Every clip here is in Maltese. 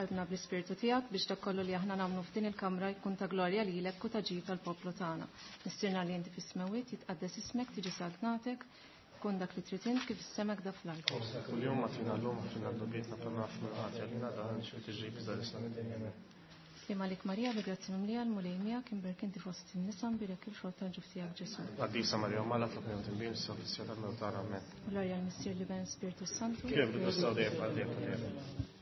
Qalbna bl-Ispirtu tiegħek biex dak kollu li aħna nagħmlu f'din il-kamra jkun ta' glorja lilek u ta' ġid tal-poplu tagħna. Missierna li inti fis-smewwiet jitqaddes ismek, tiġi saltnatek, tkun dak li trid int kif is-sema da fl-art. Kuljum agħtina llum aħfrilna dnubietna bħalma naħfru l-ħati għalina dan xi tiġri biża' lisna mid-dinja. Amen. Slim għalik Marija bi grazzi mimlija l-Mulej miegħek imbierek inti fost in-nisa mbierek il-frott tal-ġuf tiegħek Ġesù. Qaddisa Marija Omm Alla tlobna mtinbin issa fis-siegħa tal-mewt tagħna. Amen. Glorja l-Missier l-Iben Spiritu Santu. Kif bidu s dejjem għal dejjem ta' dejjem.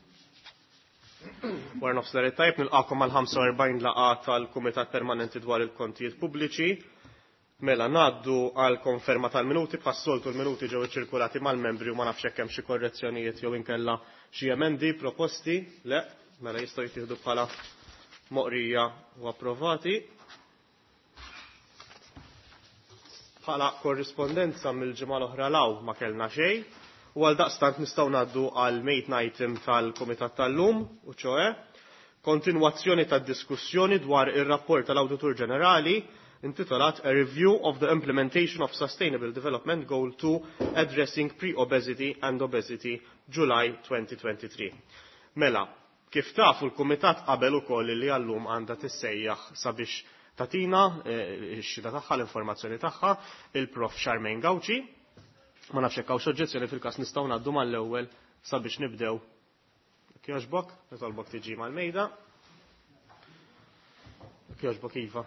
Wara nofsinhar it-tajjeb nilqakom għal 45 laqgħa tal-Kumitat Permanenti dwar il-Kontijiet Pubbliċi. Mela ngħaddu għal konferma tal-minuti bħas-soltu l-minuti ġew iċċirkulati mal-membri u ma nafx hekk hemm xi korrezzjonijiet jew inkella xi emendi proposti. Le, mela jistgħu jittieħdu bħala moqrija u approvati. Bħala korrispondenza mill-ġimgħa l-oħra law ma kellna xejn u għal daqstant nistgħu ngħaddu għal main item tal-Kumitat tal-lum u ċoe kontinwazzjoni tad-diskussjoni dwar ir-rapport tal-Awditur Ġenerali intitolat A Review of the Implementation of Sustainable Development Goal 2 Addressing Pre-Obesity and Obesity July 2023. Mela, kif tafu l-Kumitat qabel ukoll li għallum għandha tissejjaħ sabiex tatina x-xhieda tagħha l-informazzjoni tagħha il-Prof Charmaine Gauci. Ma nafx hekk hawnx oġġezzjoni fil-każ nistgħu ngħaddu mal-ewwel sabiex nibdew. Jekk jogħġbok, nitolbok tiġi mal-mejda. Jekk jogħġbok iva.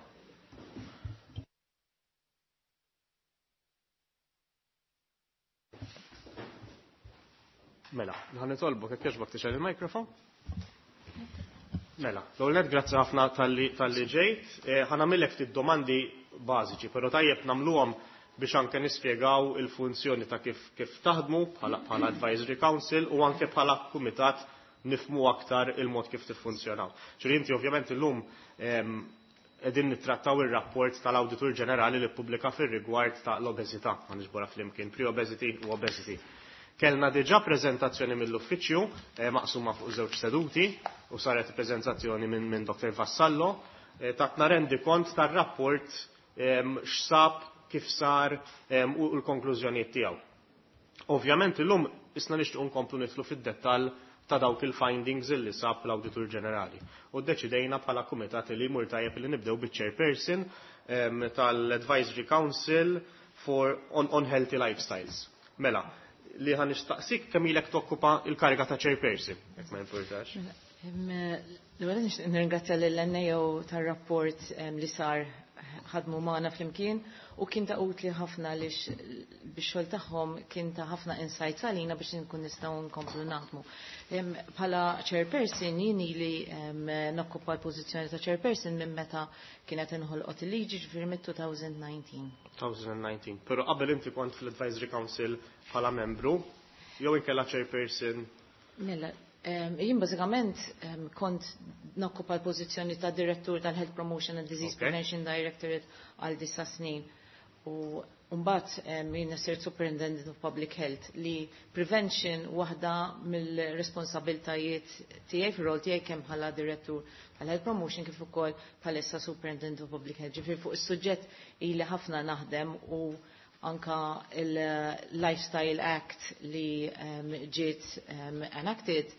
Mela, ħa nitolbok jekk jogħġbok tixgħel il-mikrofon. Mela, l-ewwel grazzi ħafna talli ġejt. Ħa nagħmillek ftit domandi bażiċi, però tajjeb nagħmluhom biex anke nispjegaw il-funzjoni ta' kif taħdmu bħala Advisory Council u anke bħala kumitat nifmu aktar il-mod kif tiffunzjonaw. Ġifieri inti ovvjament illum qegħdin nittrattaw ir-rapport tal-Awditur Ġenerali li ppubblika fir-rigward ta' l-obeżità, ma niġbora flimkien, pre-obesity u obesity. Kellna diġà preżentazzjoni mill-uffiċċju maqsuma fuq żewġ seduti u saret preżentazzjoni minn Dr. Vassallo tatna rendi kont tar-rapport x'sab, kif sar u l-konklużjonijiet tiegħu. Ovvjament illum isna nixtiequ nkomplu nidħlu fid-dettall ta' dawk il-findings illi sab l-Awditur Ġenerali. U ddeċidejna bħala kumitat li jmur tajjeb li nibdew biċ-chairperson tal-Advisory Council for on Healthy Lifestyles. Mela, li ħa nistaqsik kemm ilek tokkupa il-kariga ta' chairperson, jekk ma jimpurtax. L-ewwel nixtieq nirringrazzja lill-NAO tar-rapport li sar ħadmu magħna flimkien u kien ta' utli ħafna għaliex bix-xogħol tagħhom kien ta' ħafna insights għalina biex nkun nistgħu nkomplu naħdmu. Bħala chairperson jien ili nokkupa l-pożizzjoni ta' chairperson minn meta kienet inħolqot il-liġi, ġifieri mid-2019. 2019. Però qabel inti kont fl-Advisory Council bħala membru, jew inkella chairperson? Mela, jien bażikament kont nokkupa l-pożizzjoni ta' direttur tal-Health Promotion and Disease Prevention Directorate għal 9 snin. U mbagħad jien sirt Superintendent of Public Health li prevention waħda mill-responsabiltajiet tiegħi fir-rol tiegħi kemm bħala direttur tal-Health Promotion kif ukoll bħalissa Superintendent of Public Health. Ġifieri fuq is-suġġett ili ħafna naħdem u anka il-Lifestyle Act li ġiet enacted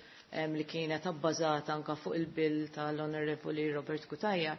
li kienet abbażata anka fuq il-bill tal-Onorevoli Robert Cutajar.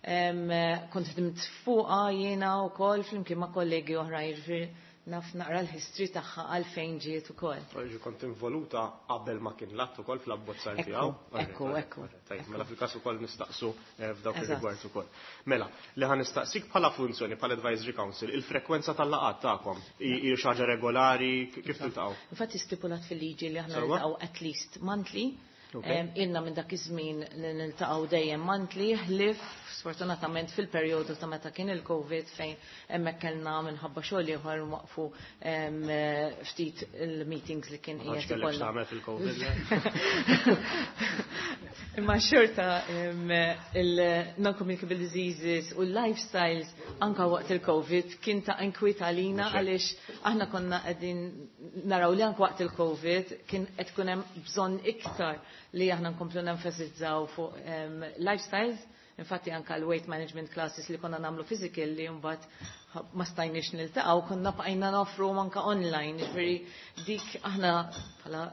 Kont ħdimt fuqha jiena wkoll flimkien ma' kollegi oħra, jiġifieri naf naqra l-history tagħha għalfejn ġiet ukoll. Ġi kont involuta qabel ma kien l-att ukoll fl-abbozzar tiegħu. Ekku, ekku. Tajjeb, mela fil-każ ukoll nistaqsu f'dawk ir-rigward ukoll. Mela, li ħa nistaqsik bħala funzjoni bħala Advisory Council, il-frekwenza tal-laqgħat tagħkom hi xi ħaġa regolari, kif tiltaqgħu? Infatti stipulat fil-liġi li aħna niltaqgħu at least monthly. Ilna minn dak iż-żmien li niltaqgħu dejjem monthly, ħlief sfortunatament fil-perjodu ta' meta kien il-Covid fejn hemmhekk kellna minħabba xogħol ieħor waqfu ftit il-meetings li kien qiegħed ikollna. tagħmel fil-Covid. Imma xorta il-non-communicable diseases u l-lifestyles anka waqt il-Covid kien ta' inkwiet għalina għaliex aħna konna qegħdin naraw li anka waqt il-Covid kien qed tkun hemm bżonn iktar li aħna nkomplu nenfasizzaw fuq lifestyles. Infatti anka l-weight management classes li konna nagħmlu physical li mbagħad ma stajniex niltaqgħu konna bqajna nofru anka online, ġifieri dik aħna bħala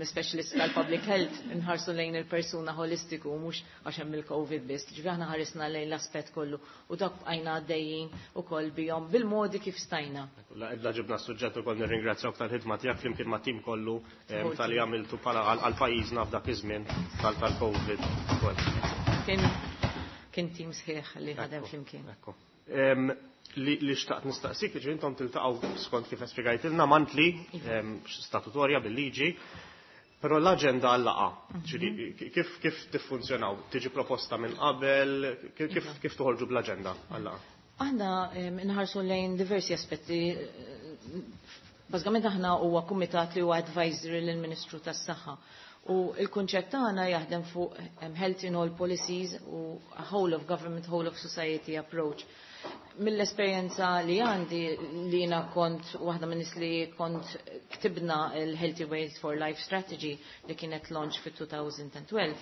Specialist tal-public health nħarsu lejn il-persuna holistiku, mhux għax hemm il-COVID biss. Ġifieri aħna ħarisna lejn l-aspett kollu u dak bqajna għaddejjin ukoll bihom bil-modi kif stajna. La ġibna s-suġġett ukoll, nirringrazzjawk tal-ħidma tiegħek flimkien ma' tim kollu tal-li għamiltu bħala għal pajjiżna f'dak iż-żmien tal-COVID ukoll. Kien tim sħiħ li ħadem flimkien. Li xtaqt nistaqsik, ġi intom tiltaqgħu, skont kif espjegajtilna, monthly, statutorja bil-liġi, però l-aġenda għal-laqgħa, ġifieri kif tiffunzjonaw? Tiġi proposta minn qabel, kif toħorġu bl-aġenda għal-laqgħa? Aħna nħarsu lejn diversi aspetti. Bażikament aħna huwa kumitat li huwa advisory lill-Ministru tas-Saħħa. U il-kunċett tagħna jaħdem fuq health in all policies u a whole of government, whole of society approach. Mill-esperjenza li għandi, li jiena kont waħda minn nies li kont ktibna il-Healthy Weight for Life Strategy li kienet launch fit-2012.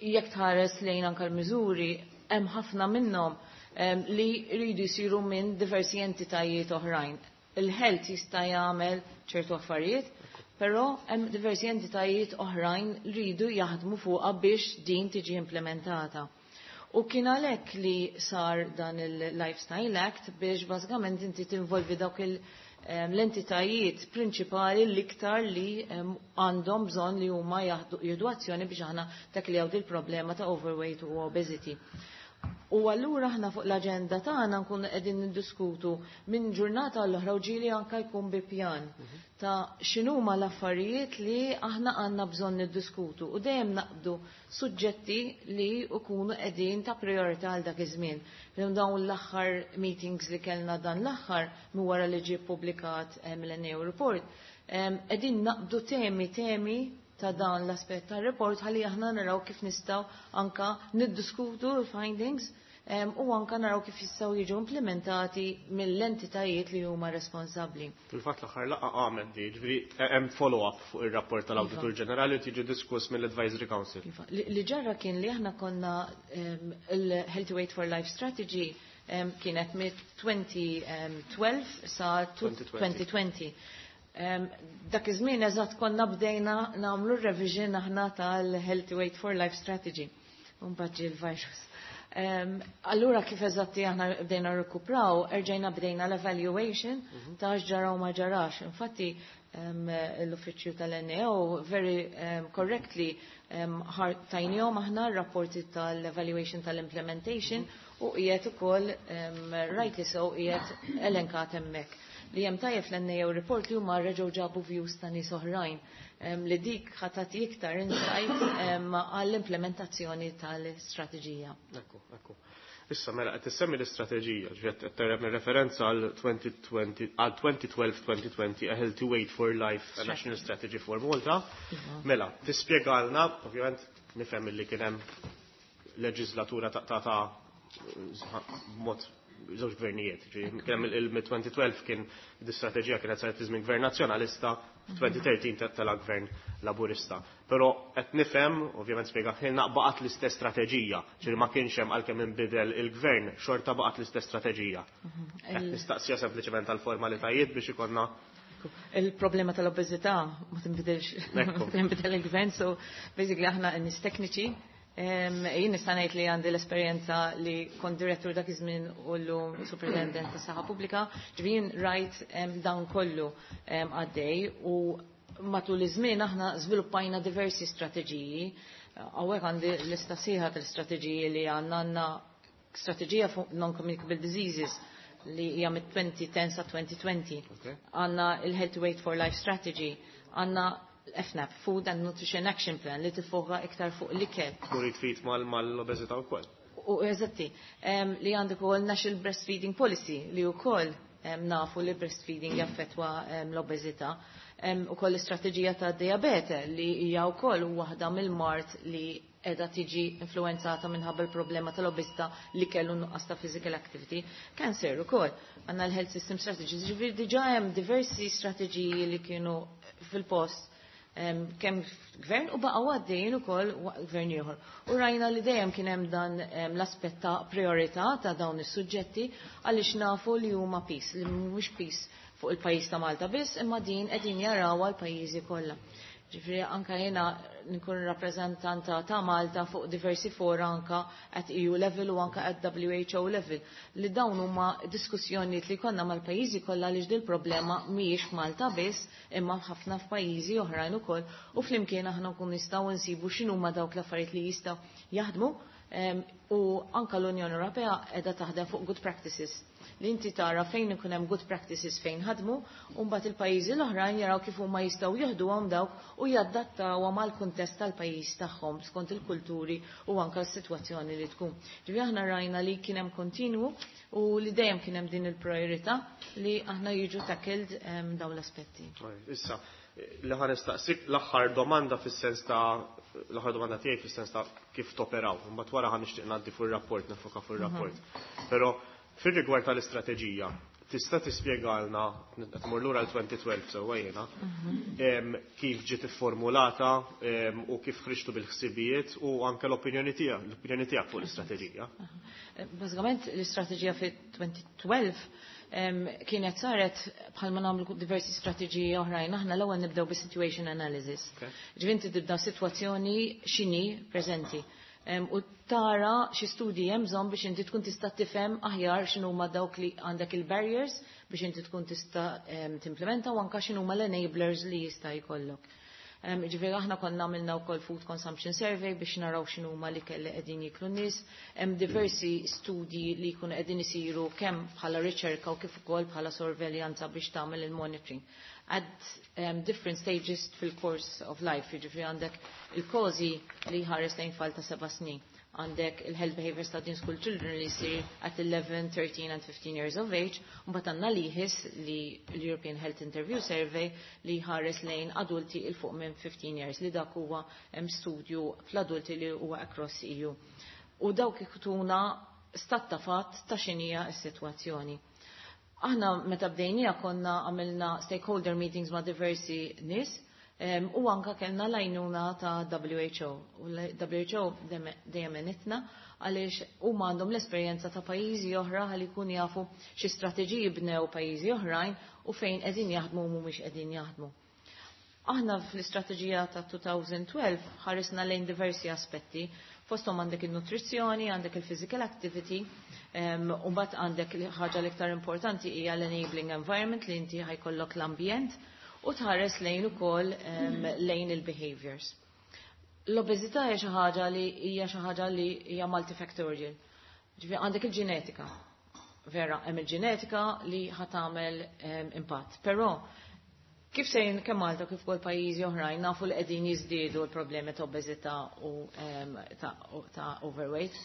Jekk tħares lejn anke l-miżuri, hemm ħafna minnhom li jridu jsiru minn diversi entitajiet oħrajn. Il-health jista' jagħmel ċertu affarijiet, però hemm diversi entitajiet oħrajn li jridu jaħdmu fuqha biex din tiġi implementata. U kien għalhekk li sar dan il-Lifestyle Act biex bażikament inti tinvolvi dawk l-entitajiet prinċipali l-iktar li għandhom bżonn li huma jieħdu azzjoni biex aħna tacklejaw il-problema ta' overweight u obesity. U allura aħna fuq l-aġenda tagħna nkunu qegħdin niddiskutu minn ġurnata għall oħra u ġieli anke jkun bi pjan ta' x'inhuma l-affarijiet li aħna għandna bżonn niddiskutu u dejjem naqbdu suġġetti li jkunu qegħdin ta' priorità għal dak iż-żmien. Dawn l-aħħar meetings li kellna dan l-aħħar minn wara li ġie ppubblikat mill-NAO report, qegħdin naqbdu temi ta' dan l-aspett tar-report ħalli aħna naraw kif nistgħu anka niddiskutu l-findings u anka naraw kif jistgħu jiġu implementati mill-entitajiet li huma responsabbli. Fil-fatt l-aħħar laqgħa għamet di, ġifieri hemm follow-up fuq ir-rapport tal-Awditur Ġenerali u tiġi diskuss mill-Advisory Council. Iva. Li ġara kien li aħna konna il-Healthy Weight for Life Strategy kienet mit-2012 sa 2020. 2020. Dak iż-żmien eżatt konna bdejna nagħmlu revision aħna tal-Healthy Weight for Life Strategy. U mbagħad ġie l-virus. Allura kif eżatti aħna bdejna rikupraw, erġajna bdejna l-evaluation ta' x'ġara u ma ġarax. Infatti l-uffiċċju tal-NAO very correctly tajnihom aħna r-rapporti tal-evaluation tal-implementation u qiegħed ukoll rightly so qiegħed elenkat hemmhekk. Li hemm tajjeb fl-NAO report li huma reġgħu ġabu views ta' nies oħrajn li dik ħa tati iktar insight għall-implementazzjoni tal-istrateġija. Ekku. Issa mela qed tissemmi l-istrateġija, ġifieri qed tagħmel referenza għal 2020, għal 2012-2020, A Healthy Weight for Life, a National Strategy for Malta. Mela, tispjegalna, ovvjament nifhem li kien hemm leġislatura ta' mod żewġ gvernijiet. Ġifieri kien hemm il-2012 kien l-istrateġija kienet saret fi żmien gvern nazzjonalista, f'2013 tela gvern laburista. Però qed nifhem, ovvjament spjegatilna, baqgħet l-istess strateġija, ġifieri ma kienx hemm, għalkemm inbidel il-gvern, xorta baqgħet l-istess strateġija. Qed nistaqsija sempliċement għal formalitajiet biex ikollna Il-problema tal-obeżità ma tinbidilx. Tinbidel il-gvern, so basically aħna nies tekniċi. Jien nista' ngħid li għandi l-esperjenza li kont direttur dak iż-żmien u llum superintendent tas-saħħa pubblika, ġifieri jien rajt dawn kollu għaddej u matul iż-żmien aħna żviluppajna diversi strateġiji. Hawnhekk għandi lista sħiħa tal-istrateġiji li għandna. Strateġija fuq non-communicable diseases li hija mit-2010 sa 2020. Għandna il-Healthy Weight for Life Strategy, għandna FNAP, Food and Nutrition Action Plan, li tifoka iktar fuq l-ikel. Tmur fit mal-obeżità wkoll. U eżatti, li għandek ukoll National Breastfeeding Policy li wkoll nafu li breastfeeding jaffetwa l-obeżità. Ukoll l-istrateġija ta' diabete li hija wkoll waħda mill-mard li edha tiġi influenzata minħabba l-problema tal-obeżità li kellu nuqqas ta' physical activity. Cancer ukoll. Għandna l-Health System Strategy. Ġifieri diġà hemm diversi strateġiji li kienu fil-post kemm gvern u baqgħu għaddejjin ukoll gvern ieħor. U rajna li dejjem kien hemm dan l-aspett ta' priorità ta' dawn is-suġġetti għaliex nafu li huma piż, li mhumiex piż. fuq il-pajjiż ta' Malta biss, imma din qegħdin jarawha l-pajjiżi kollha. Ġifieri anka jiena nkun rappreżentanta ta' Malta fuq diversi fora anka at EU level u anka at WHO level li dawn huma diskussjonijiet li konna mal-pajjiżi kollha li dil problema mhijiex f'Malta biss imma ħafna f'pajjiżi oħrajn ukoll u flimkien aħna nkun nistgħu nsibu x'inhuma dawk l-affarijiet li jistgħu jaħdmu u anka l-Unjoni Ewropea qiegħda taħdem fuq good practices li inti tara fejn ikun hemm good practices fejn ħadmu u mbagħad il-pajjiżi l-oħrajn jaraw kif huma jistgħu jieħduhom dawk u jadattawhom għall-kuntest tal-pajjiż tagħhom skont il-kulturi u anka s-sitwazzjoni li tkun. Ġifieri aħna rajna li kien hemm kontinwu u li dejjem kien hemm din il-priorità li aħna jiġu tackled dawn l-aspetti. Issa, li ħa nistaqsik l-aħħar domanda fis-sens ta' l-aħħar domanda tiegħi fis-sens ta' kif toperaw. Mbagħad wara ħa nixtieq ngħaddi fuq ir-rapport, nifoka fuq ir-rapport. Però fir-rigward tal-istrateġija, tista' tispjegalna, qed mur lura l-2012 sewwa jiena, kif ġiet ifformulata u kif ħriġtu bil-ħsibijiet u anke l-opinjoni tiegħek, l-opinjoni tiegħek fuq l-istrateġija. Bażikament l-istrateġija fi 2012 kienet saret bħalma nagħmlu diversi strateġiji oħrajn. Aħna l-ewwel nibdew bi situation analysis. Ġifieri inti tibda sitwazzjoni x'inhi preżenti. U tara xi studji hemm bżonn biex inti tkun tista' tifhem aħjar x'inhuma dawk li għandek il-barriers biex inti tkun tista' timplementa u anke x'inhuma l-enablers li jista' jkollok. Ġifieri aħna konna għamilna wkoll food consumption survey biex naraw x'inhuma li kelli qegħdin jiklu nies. Hemm diversi studji li jkunu qegħdin isiru kemm bħala riċerka u kif ukoll bħala sorveljanza biex tagħmel il-monitoring. At different stages fil-course of life, jiġifieri għandek il-COSI li ħares lejn tfal ta' 7 snin. Għandek il-Health Behavior Study in School Children li jsir at 11, 13 and 15 years of age, u mbagħad għandna l-EHIS li l-European Health Interview Survey li ħares lejn adulti 'il fuq minn 15 years li dak huwa hemm studju fl-adulti li huwa across EU. U dawk jtuna stat ta' fatt ta' x'inhija s-sitwazzjoni. Aħna meta bdejnija konna għamilna stakeholder meetings ma' diversi nies u anka kellna l-għajnuna ta' WHO. U l-WHO dejjem għenitna għaliex huma għandhom l-esperjenza ta' pajjiżi oħra ħalli jkun jafu xi strateġiji bnew pajjiżi oħrajn u fejn qegħdin jaħdmu u mhumiex qegħdin jaħdmu. Aħna fl-istrateġija ta' 2012 ħarisna lejn diversi aspetti. Fosthom għandek il-nutrizzjoni, għandek il-physical activity, u mbagħad għandek ħaġa l-iktar importanti hija l-enabling environment li inti ħa jkollok l-ambjent u tħares lejn ukoll lejn il-behaviors. L-obeżità hija xi ħaġa li hija multifactorial. Ġifieri għandek il-ġenetika. Vera, hemm il-ġenetika li ħa tagħmel impatt. Però kif sejn kemm Malta kif ukoll pajjiżi oħrajn nafu li qegħdin jiżdiedu l-problemi ta' obeżità u ta' overweight.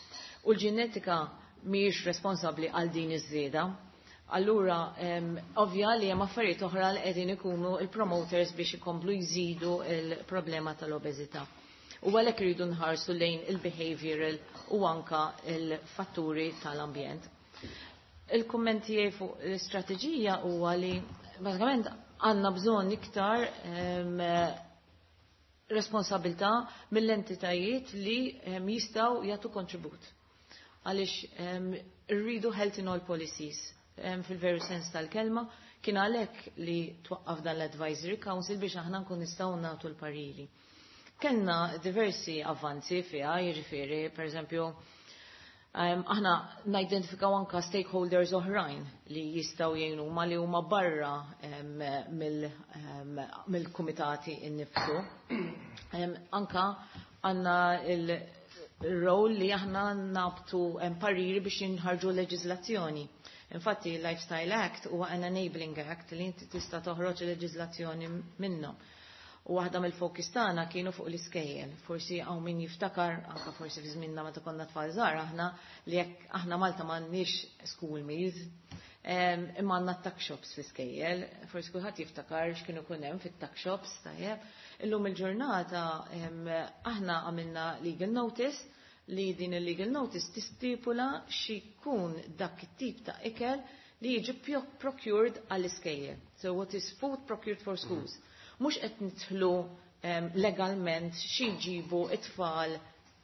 U l-ġenetika mhijiex responsabbli għal din iż-żieda. Allura, ovvja li hemm affarijiet oħra li qegħdin ikunu il-promoters biex ikomplu jżidu il-problema tal-obeżità. U għalhekk iridu nħarsu lejn il-behavioral u anka il-fatturi tal-ambjent. Il-kummenti fuq l-istrateġija huwa li bażikament għandna bżonn iktar responsabilità mill-entitajiet li jistgħu jagħtu kontribut. Għaliex rridu health in all policies fil-veru sens tal-kelma, kien għalhekk li twaqqaf dan l-Advisory Council biex aħna nkun nistgħu nagħtu l-pariri. Kellna diversi avvanzi fiha, jiġifieri, per eżempju, aħna nidentifikaw anka stakeholders oħrajn li jistgħu jgħinu ma li huma barra mill-kumitati innifsu. Anka għandna il-rol li aħna nagħtu pariri biex jinħarġu leġiżlazzjoni. Infatti, il-Lifestyle Act huwa an enabling act li inti tista' toħroġ leġiżlazzjoni minnhom. U waħda mill-fokus tagħna kienu fuq l-iskejjel. Forsi hawn min jiftakar, anka forsi fi żmienna meta konna tfal żgħar aħna li jekk aħna Malta m'għandniex school meals, imma għandna tuck shops fl-iskejjel. Forsi kulħadd jiftakar x'kienu kun hemm fit-tuck shops, tajjeb. Illum il-ġurnata aħna għamilna legal notice li din il-legal notice tistipula x'ikun dak it-tip ta' ikel li jiġi procured għall-iskejjel. So what is food procured for schools? Mhux qed nidħlu legalment xi jġibu it-tfal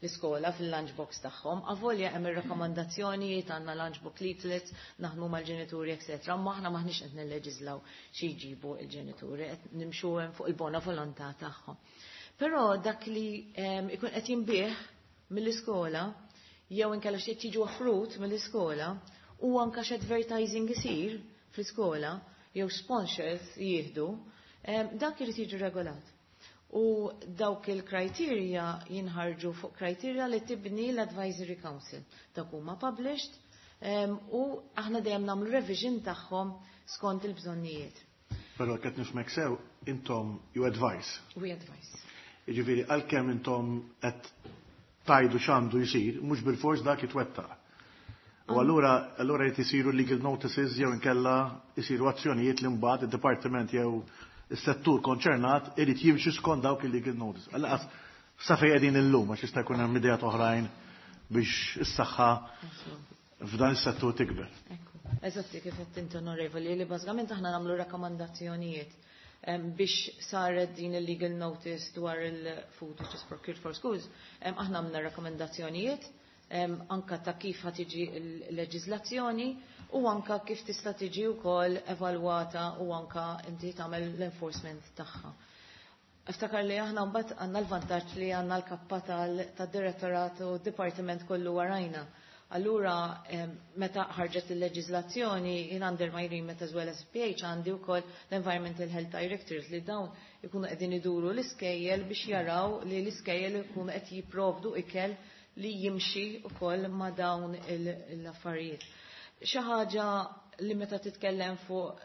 l-iskola fil-lunchbox tagħhom. Avolja hemm ir-rakkomandazzjonijiet, għandna lunchbox leaflets, naħdmu mal-ġenituri, etc. Ma aħna maħniex qed nilleġislaw xi jġibu l-ġenituri, qed nimxu hemm fuq il-bona volontà tagħhom. Però dak li ikun qed jinbiegħ mill-iskola jew inkella xi qed jiġu offrut mill-iskola u anke x'advertising isir fl-iskola jew sponsors jieħdu, dak irid jiġi regolat. U dawk il-criteria jinħarġu fuq criteria li tibni l-Advisory Council. Dak huma published u aħna dejjem nagħmlu revision tagħhom skont il-bżonnijiet. Però qed nifhmek sew, intom you advise. We advise. Jiġifieri għalkemm intom qed tgħidu x'għandu jsir, mhux bil-fors dak jitwettaq. U allura jrid isiru legal notices jew inkella isiru azzjonijiet li mbagħad id-dipartiment jew is-settur konċernat irid jimxi skont dawk il-legal notices. Għalqas sa fejn qegħdin illum, għax jista' jkun hemm ideat oħrajn biex is-saħħa f'dan is-settur tikber. Ekku. Eżatti kif qed inti, onorevoli, li bażikament aħna nagħmlu rakkomandazzjonijiet biex saret din il-legal notice dwar il-food which is procured for schools, aħna għamilna rakkomandazzjonijiet anka ta' kif ħa tiġi l-leġiżlazzjoni u anka kif tista' tiġi wkoll evalwata u anka inti tagħmel l-enforcement tagħha. Iftakar li aħna mbagħad għandna l-vantaġġ li għandna l-kappa tad-direttorat u d-dipartiment kollu warajna. Allura, meta ħarġet il-leġiżlazzjoni, jien under my remit as well as PH għandi wkoll l-Environmental Health Directors li dawn ikunu qegħdin iduru l-iskejjel biex jaraw li l-iskejjel ikunu qed jipprovdu ikel li jimxi wkoll ma' dawn l-affarijiet. Xi ħaġa li meta titkellem fuq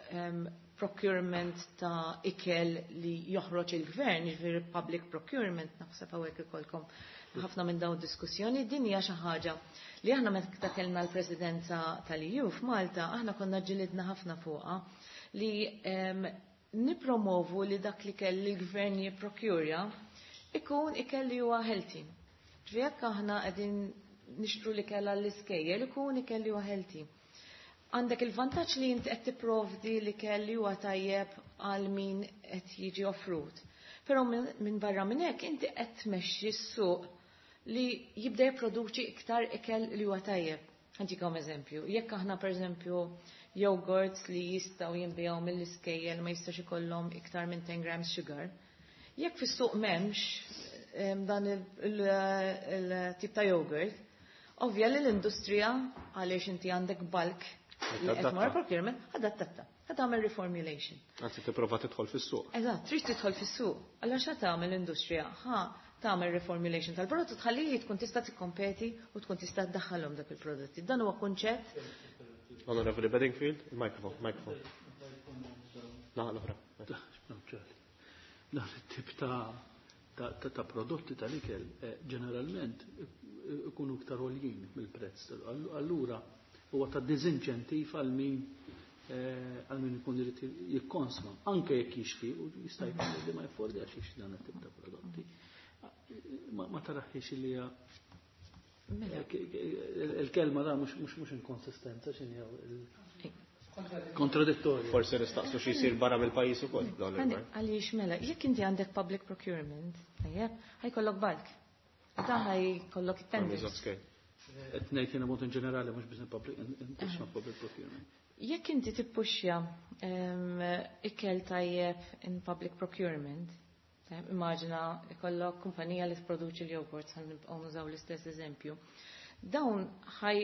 procurement ta' ikel li joħroġ il-gvern, jiġifieri public procurement, naħseb hawnhekk ikolkom ħafna minn dawn diskussjoni, din hija xi ħaġa li aħna meta kellna l-Presidenza tal-EU f'Malta, aħna konna ġilidna ħafna fuqha li nipromovu li dak li kell il-gvern jipprokurja ikun ikel li huwa healthy. Ġifieri jekk aħna qegħdin nixtru li kellha l-iskejjel ikun ikel li huwa healthy. Għandek il-vantaġġ li inti qed tipprovdi li kell li huwa tajjeb għal min qed jiġi offrut. Però minn barra minn hekk inti qed tmexxi s-suq li jibda jipproduċi iktar ikel li huwa tajjeb. Ħa ntikom eżempju, jekk aħna pereżempju yogurts li jistgħu jinbiegħu mill-iskejjel ma jistax ikollhom iktar minn 10 grams sugar, jekk fis-suq m'hemmx dan il-tip ta' yogurt, ovvja li l-industrija, għaliex inti għandek bulk li qed mar procurement, adattatta. Ħa tagħmel reformulation. Anzi tipprova tidħol fis-suq. Eżatt, trid tidħol fis-suq. Allura x'ha tagħmel l-industrija? Ħa tagħmel reformulation tal-prodott u tħalli tkun tista' tikkompeti u tkun tista' tdaħħalhom dak il-prodotti. Dan huwa kunċett. Honorable Bedingfield, il-microphone, microphone. Naħa l-oħra. Dan it-tip ta' prodotti tal-ikel ġeneralment ikunu iktar għoljin mill-prezz. Allura huwa ta' diżinċentiv għal min ikun irid jikkonsma, anke jekk jixtri u jista' jkun li ma jaffordjax jixtri dan it-tip ta' prodotti. Ma taraħiex li hija Mela. il-kelma da mhux inkonsistenza, x'inhi, kontradittorju. Forsi nistaqsu xi jsir barra mill-pajjiż ukoll dawn il-gvern. Għaliex mela, jekk inti għandek public procurement, tajjeb, ħa jkollok bulk. Da ħa jkollok tenders. Economies of scale. Qed ngħid jiena mod in ġenerali, mhux biss public public procurement. Jekk inti tippuxja ikel tajjeb in public procurement, tajjeb, immaġina ikollok kumpanija li tproduċi l-jogurt, ħa nibqgħu nużaw l-istess eżempju. Dawn ħaj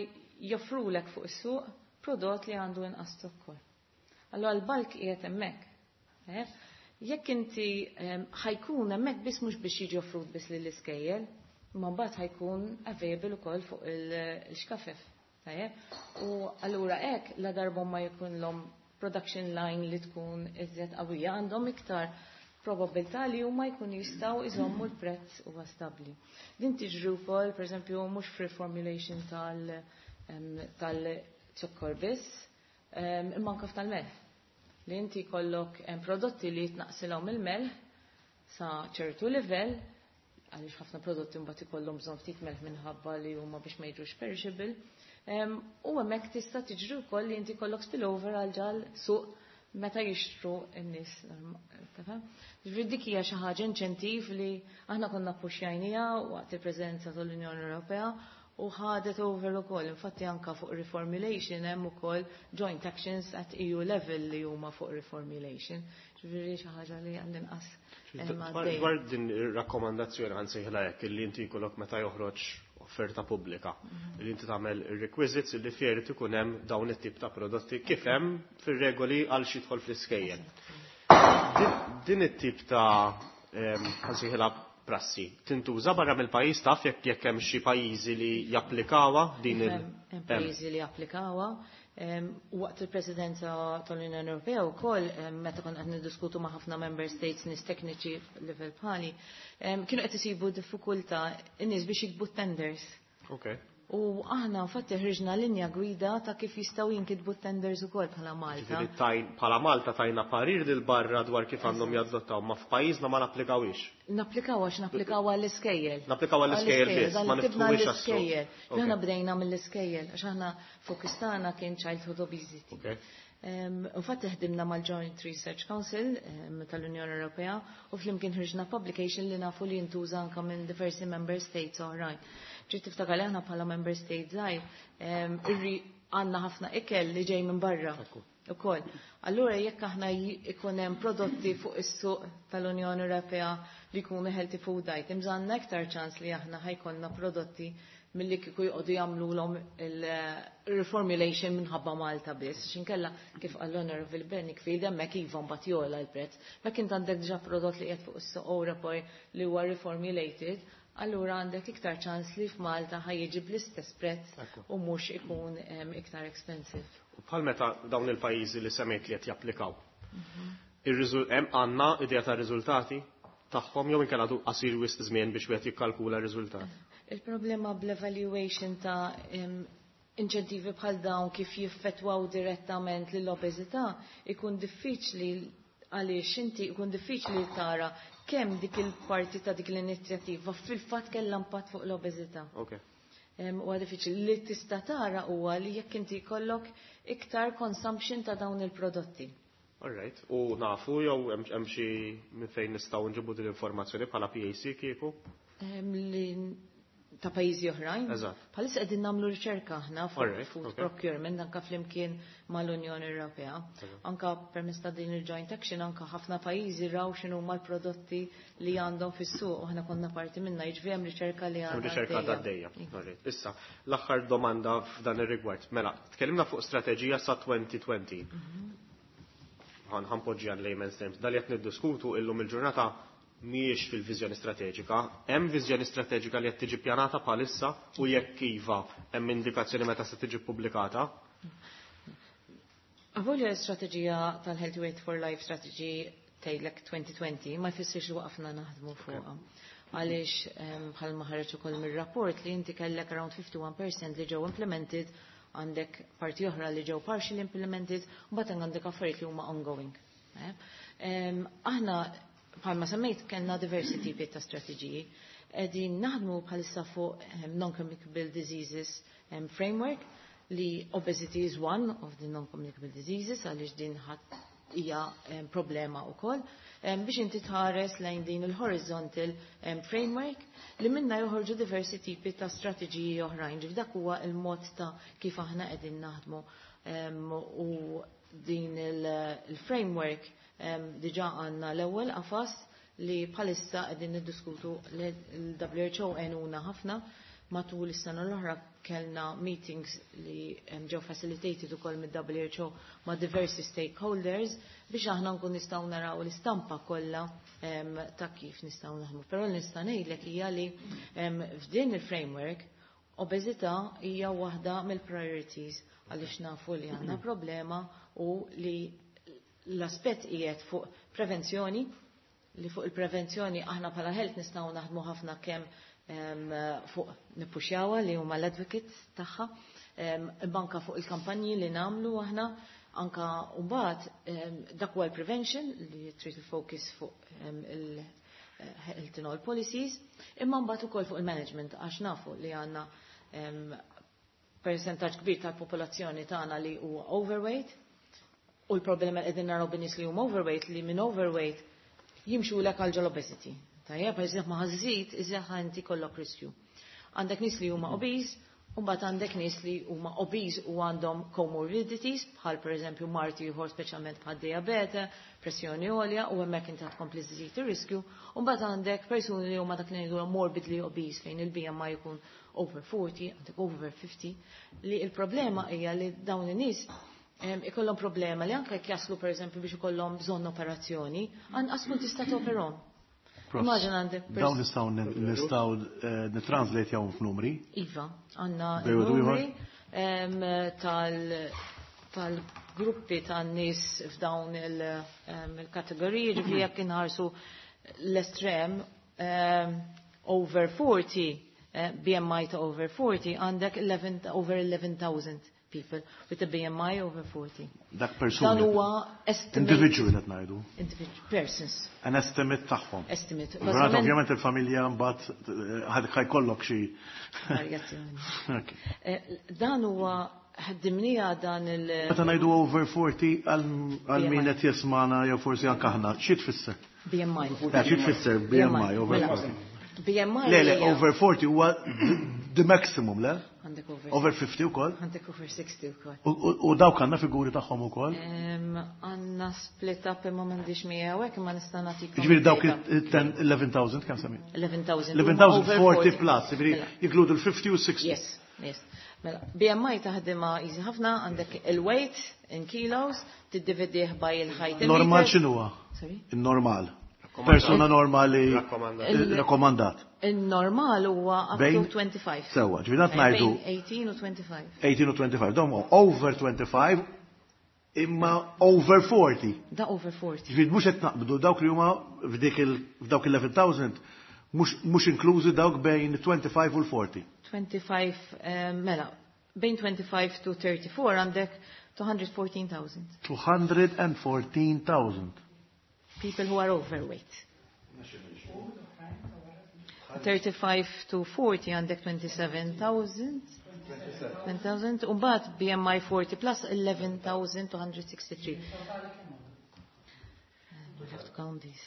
joffrulek fuq is-suq prodott li għandu inqas zokkor. Allora l-bulk qiegħed hemmhekk. Tajjeb? Jekk inti ħa jkun hemmhekk biss mhux biex jiġi offrut biss lill-iskejjel, imma mbagħad ħa jkun available ukoll fuq il-xkafef. Tajjeb? U allura hekk la darba ma jkunlhom production line li tkun iżjed qawwija, għandhom iktar probabilità li huma jkunu jistgħu iżommu l-prezz huwa stabbli. Din tiġri wkoll, pereżempju, mhux f'reformulation tal-zokkor biss, imma anke tal-melħ. Li inti jkollok prodotti li jitnaqsilhom il-melħ sa ċertu livell, għaliex ħafna prodotti mbagħad ikollhom bżonn ftit melħ minħabba li huma biex ma jiġux perishable. U hemmhekk tista' tiġri wkoll li inti jkollok spillover għal ġal suq meta jixtru n-nies. Ġifieri dik hija xi ħaġa inċentiv li aħna konna ppuxjajniha waqt il-Presidenza tal-Unjoni Ewropea u ħadet over ukoll. Infatti anka fuq reformulation hemm ukoll joint actions at EU level li huma fuq reformulation. Ġifieri xi ħaġa li għall-inqas. Dwar din ir-rakkomandazzjoni ħa nsejħilha hekk li inti jkollok meta joħroġ offerta pubblika li inti tagħmel requisites li fieri ikun hemm dawn it-tip ta' prodotti kif hemm fir-regoli għal xi jidħol fl-iskejjel. Din it-tip ta' ħa nsejħilha prassi tintuża barra mill-pajjiż, taf jekk hemm xi pajjiżi li japplikawha din il Hemm pajjiżi li japplikawha. Waqt il-Presidenza tal-Unjoni Ewropea wkoll, meta konna qed niddiskutu ma' ħafna member states, nies tekniċi level bħali, kienu qed isibu diffikultà in-nies biex jiktbu tenders. U aħna infatti ħriġna linja gwida ta' kif jistgħu jinkitbu tenders ukoll bħala Malta. Bħala Malta tajna parir lil barra dwar kif għandhom jadottaw, ma f'pajjiżna ma napplikawix. Napplikaw għax napplikaw għall-iskejjel. Napplikaw għall-iskejjel biss, ma niftħuwix. Għall-iskejjel. Aħna bdejna mill-iskejjel, għax aħna focus tagħna kien childhood obesity. Infatti ħdimna mal-Joint Research Council tal-Unjoni Ewropea u flimkien ħriġna publication li nafu li jintuża anka minn diversi member states oħrajn. Trid tiftakar li aħna bħala member state żgħir għandna ħafna ikel li ġej minn barra ukoll. Allura jekk aħna ikun hemm prodotti fuq is-suq tal-Unjoni Ewropea li jkunu healthy food items, għandna iktar ċans li aħna ħa jkollna prodotti milli kieku jqogħdu jagħmluhom il-reformulation minħabba Malta biss. X'inkella, kif qal l-Honorable Bedingfield, hemmhekk iva mbagħad jogħla l-prezz. Mekk int għandek diġà prodott li qiegħed fuq is-suq Ewropej li huwa reformulated, allura għandek iktar ċans li f'Malta ħa jiġi bl-istess prezz u mhux ikun iktar expensive. U bħal meta dawn il-pajjiżi li semmejt li qed japplikaw. Hemm għandna idea ta' riżultati tagħhom jew inkella għadu qasir wisq żmien biex wieħed jikkalkula r-riżultat? Il-problema bl-evaluation ta' inċentivi bħal dawn kif jiffettwaw direttament lill-obeżità ikun diffiċli, għaliex inti ikun diffiċli tara kemm dik il-parti ta' dik l-inizjattiva fil-fatt kellha impatt fuq l-obeżità. Huwa diffiċli. Li tista' tara huwa li jekk inti jkollok iktar consumption ta' dawn il-prodotti. All right. U nafu jew hemm xi minn fejn nistgħu nġibu din l-informazzjoni bħala PAC kieku? Li ta' pajjiżi oħrajn. Eżatt. Bħalissa qegħdin nagħmlu riċerka aħna fuq food procurement anka flimkien mal-Unjoni Ewropea. Anka permezz ta' din il-joint action anka ħafna pajjiżi raw x'inhu l-prodotti li għandhom fis-suq u aħna konna parti minna, jiġifieri hemm riċerka li Hemm għadha riċerka għaddejja. għaddejja. All right. Issa, l-aħħar domanda f'dan ir-rigward. Mela, tkellimna fuq strateġija sa 2020. Ħa npoġġi għal layman's terms. Dal qed niddiskutu illum il-ġurnata mhijiex fil-viżjoni strateġika. Hemm viżjoni strateġika li qed tiġi pjanata bħalissa u jekk iva, hemm indikazzjoni meta se tiġi pubblikata? Avolja l-istrateġija tal-Healthy Weight for Life Strategy tgħidlek 2020, ma jfissirx li waqafna naħdmu fuqha. Għaliex bħalma ħareġ ukoll mir-rapport li inti kellek around 51% li ġew implemented, għandek parti oħra li ġew partially implemented, u mbagħad għandek affarijiet li huma ongoing. Eh? Aħna bħalma semmejt kellna diversi tipi ta' strateġiji. Qegħdin naħdmu bħalissa fuq non-communicable diseases framework, li obesity is one of the non-communicable diseases, għaliex din ħadd hija problema wkoll, biex inti tħares lejn din il-horizontal framework li minna joħorġu diversi tipi ta' strateġiji oħrajn. Ġif dak huwa il-mod ta' kif aħna qegħdin naħdmu u din il-framework diġà għandna l-ewwel qafas li bħalissa qegħdin niddiskutu. L-WHO għenuna ħafna matul is-sena l-oħra, kellna meetings li ġew facilitated ukoll mid-WHO ma' diversi stakeholders biex aħna nkun nistgħu naraw l-istampa kollha ta' kif nistgħu naħdmu. Però nista' ngħidlek hija li f'din il-framework obeżità hija waħda mill-priorities, għaliex nafu li għandna problema u li l-aspett qiegħed fuq prevenzjoni, li fuq il-prevenzjoni aħna bħala health nistgħu naħdmu ħafna, kemm fuq nippuxjawha li huma l-advocates tagħha, anka fuq il-kampanji li nagħmlu aħna, anka mbagħad dak huwa l-prevention li trid il-focus fuq il-health in all policies, imma mbagħad ukoll fuq il-management, għax nafu li għandna percentaġġ kbir tal-popolazzjoni tagħna li huwa overweight. U l-problema li qegħdin naraw bin-nies li huma overweight li minn overweight jimxu lek għal ġol obesity. Tajjeb, iżjed ma ħażid, iżjed inti kollok riskju. Għandek nies li huma obese, u mbagħad għandek nies li huma obese u għandhom comorbidities, bħal pereżempju mard ieħor speċjalment bħal diabete, pressjoni għolja, u hemmhekk inti tkompli żżid ir-riskju. U mbagħad għandek persuni li huma dak li ngħidu morbidly obese fejn il-BMI jkun over 40, għandek over 50, li il-problema hija li dawn in-nies ikollhom problema li anke jekk jaslu pereżempju biex ikollhom bżonn operazzjoni, anqas tkun tista' toperhom. Immaġina għandek Dawn nistgħu nitranslate jawhom f'numri. Iva, għandna Bejn u numri tal-gruppi tan-nies f'dawn il-kategoriji, ġifieri jekk inħarsu l-estrem over 40, BMI ta' over 40, għandek 11, over 11,000 people with a BMI over 40. Dak persuni. Dan huwa estimate. Individual qed ngħidu. Individual persons. An estimate tagħhom. Estimate. Bażikament ovvjament il-familja mbagħad ħad jkollok xi varjazzjoni. Dan huwa ħaddimnija dan il- Meta ngħidu over 40 għal min qed jismana jew forsi anke aħna, xi tfisser? BMI. Xi tfisser BMI over Mela, 40? BMI Le, hija over 40 huwa the maximum, le? Għandek over Over 50 ukoll? Għandek over 60 ukoll. U dawk għandna figuri tagħhom ukoll? Għandna split up imma m'għandix miegħu hekk imma nista' nagħtikom. Jiġifieri dawk data. il-11,000 kemm semmi? 11,000. 11,000 Over 40 40. plus, jiġifieri Mela. jinkludu l-50 u 60. Yes. Mela, BMI taħdimha easy ħafna, għandek il-weight in kilos, tiddividih by il-height in Normal meters. x'inhuwa? Sorry? Il-normal. Persuna normali Rakkomandat. rakkomandat. Il-normal huwa up to Bejn? 25. Sewwa, ġifieri qed ngħidu Bejn 18 u 25. 18 u 25, dawn huma over 25 imma over 40. Da over 40. Ġifieri mhux qed naqbdu dawk li huma f'dik il f'dawk il-11,000 mhux inklużi dawk bejn 25 u l-40. 25, mela, bejn 25 to 34 għandek 214,000. 214,000. People who are overweight. 35 to 40 għandek 27,000. 20,000. U mbagħad BMI 40 plus 11,263. We have to count these.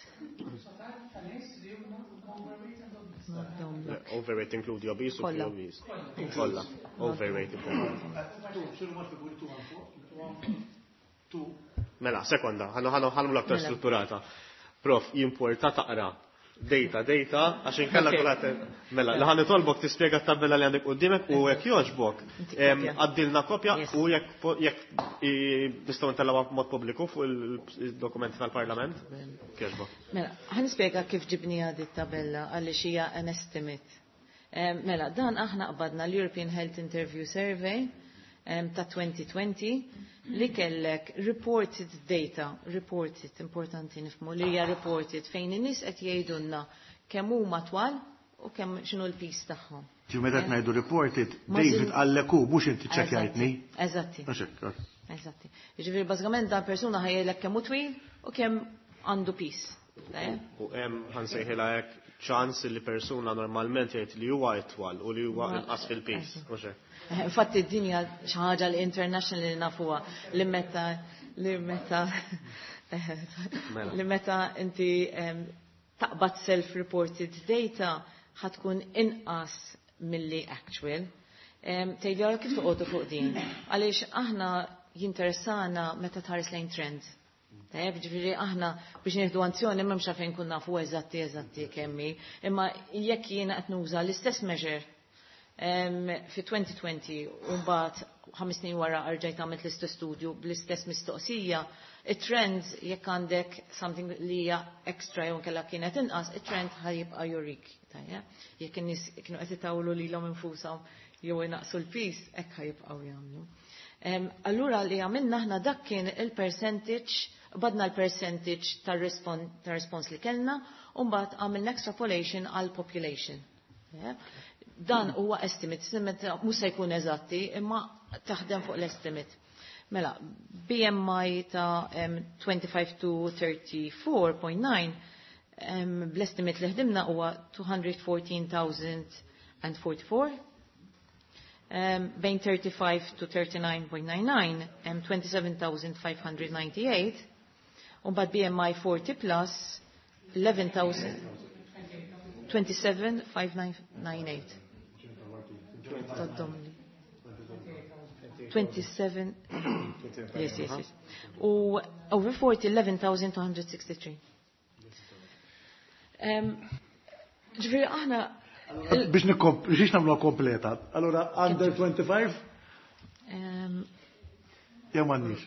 Not down look. Overweight include obese u Kollha. pre-obese. Kollha. Overweight include. Mela, sekonda, ħanu ħanu l-aktar Mela. strutturata. Prof, jimporta taqra. Data, data, għax inkella Ok. kulħadd. Mela, li ħa nitolbok tispjega t-tabella li għandek quddiemek u jekk jogħġbok, Inti kopja. għaddilna kopja Yes. u jekk nistgħu ntellgħuha b'mod pubbliku fuq il-dokumenti tal-Parlament. Jogħġbok. Mela, ħa nispjega kif ġibnija di tabella għaliex hija an estimate. Mela, dan aħna qbadna l-European Health Interview Survey ta' 2020 li kellek reported data, reported, importanti nifhmu li hija reported fejn in-nies qed jgħidulna kemm huma twal u kemm x'inhu l-piż tagħhom. Ġi meta qed ngħidu reported, Ma David zin- qallek hu mhux inti ċċekkjajtni. Eżatti. Mhux hekk, ok. Eżatti. Jiġifieri bażikament dan persuna ħajjilek kemm hu twil u kemm għandu piż. U hemm ħa nsejħilha hekk ċans li persuna normalment jgħid li huwa itwal u li huwa inqas fil-piż. Mhux hekk. Infatti d-dinja xi ħaġa li international li nafuha li meta li meta Mela. li meta inti taqbad self-reported data ħatkun inqas milli actual. Tgħidli għara kif toqgħodu fuq din. Għaliex aħna jinteressana meta tħares lejn trend. Tajjeb, ġifieri aħna biex nieħdu azzjoni m'hemmx għalfejn nkun nafu eżatti kemm hi, imma jekk jiena qed nuża l-istess measure fi 2020 u mbagħad 5 snin wara rġajt għamilt l-istess studju bl-istess mistoqsija, it-trend jekk għandek something li hija extra jew inkella kienet inqas, it-trend ħajibqa' jurik. Tajjeb, jekk in-nies kienu qed itawlu lilhom infushom jew inaqsu l-piż, hekk ħajibqgħu jagħmlu. Allura li għamilna aħna dak kien il-percentage, badna l-percentage tar-respons li kellna, u mbagħad għamilna extrapolation għal population. Yeah. Dan huwa estimate, estimate mhux se jkun eżatti, imma taħdem fuq l-estimate. Mela, BMI ta' 25 to 34.9, bl-estimate li ħdimna huwa 214,044. Bejn 35 to 39.99 hemm 27,598 u mbagħad BMI 40 plus 11,000 27,5998. Taddomli. 27 yes. U over 40 11,263. Ġifieri aħna Biex biex nagħmluha kompleta. Allora under 25 jew m'għandniex.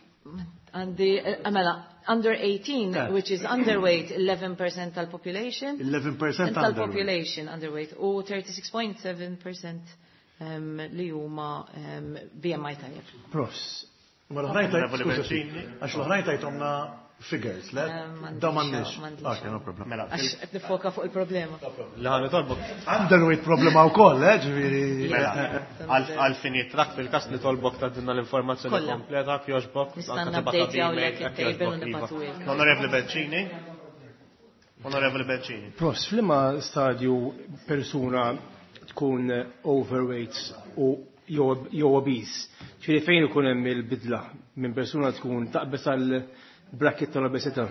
Għandi, mela, under 18, which is underweight, 11% tal-population. 11% tal-population underweight u 36.7% li huma BMI tajjeb. Profs. Ma l-oħrajn tajt, għax l-oħrajn tajtomna figures, le? Da m'għandniex. Ok, no problem. Mela, Għax qed nifoka fuq il-problema. Li ħa nitolbok. Underweight problema wkoll, eh, ġifieri. Mela, għal-finijiet trak fil-kas nitolbok ta' dinna l-informazzjoni Kollha. kompleta, kjoġbok. Nista' anke nupdate tibgħatha jawlek b'email, it-table jekk u nibgħatu jogħġbok, iva. Onorevoli Bencini. Onorevoli Bencini. Profs, f'liema stadju persuna tkun overweight u jew obese, ġifieri fejn ikun hemm il-bidla minn persuna tkun taqbes għal bracket tal-obesità?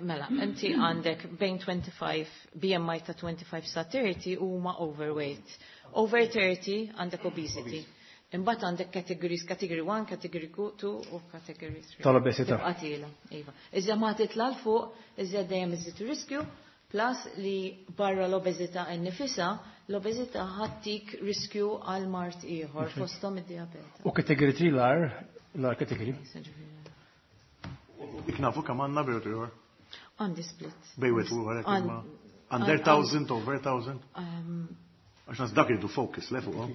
Mela, inti għandek bejn 25, BMI ta' 25 sa 30 huma overweight. Over 30 għandek obesity. Imbagħad għandek categories, category 1, category 2 u category 3. Tal-obesità. Tibqa' tiela, iva. Iżda ma titla' 'l fuq, iżda dejjem iżid riskju, plus li barra l-obeżità nnifisha, l-obeżità ħattik riskju għal mard ieħor fosthom id-dijabete. U category 3 l-ar category? Ik nafu kemm għandna bejn ieħor. Għandi split. Bejn wieħed u ieħor hekk imma under 1000, over 1000. Għax nas dak iridu focus le fuqhom.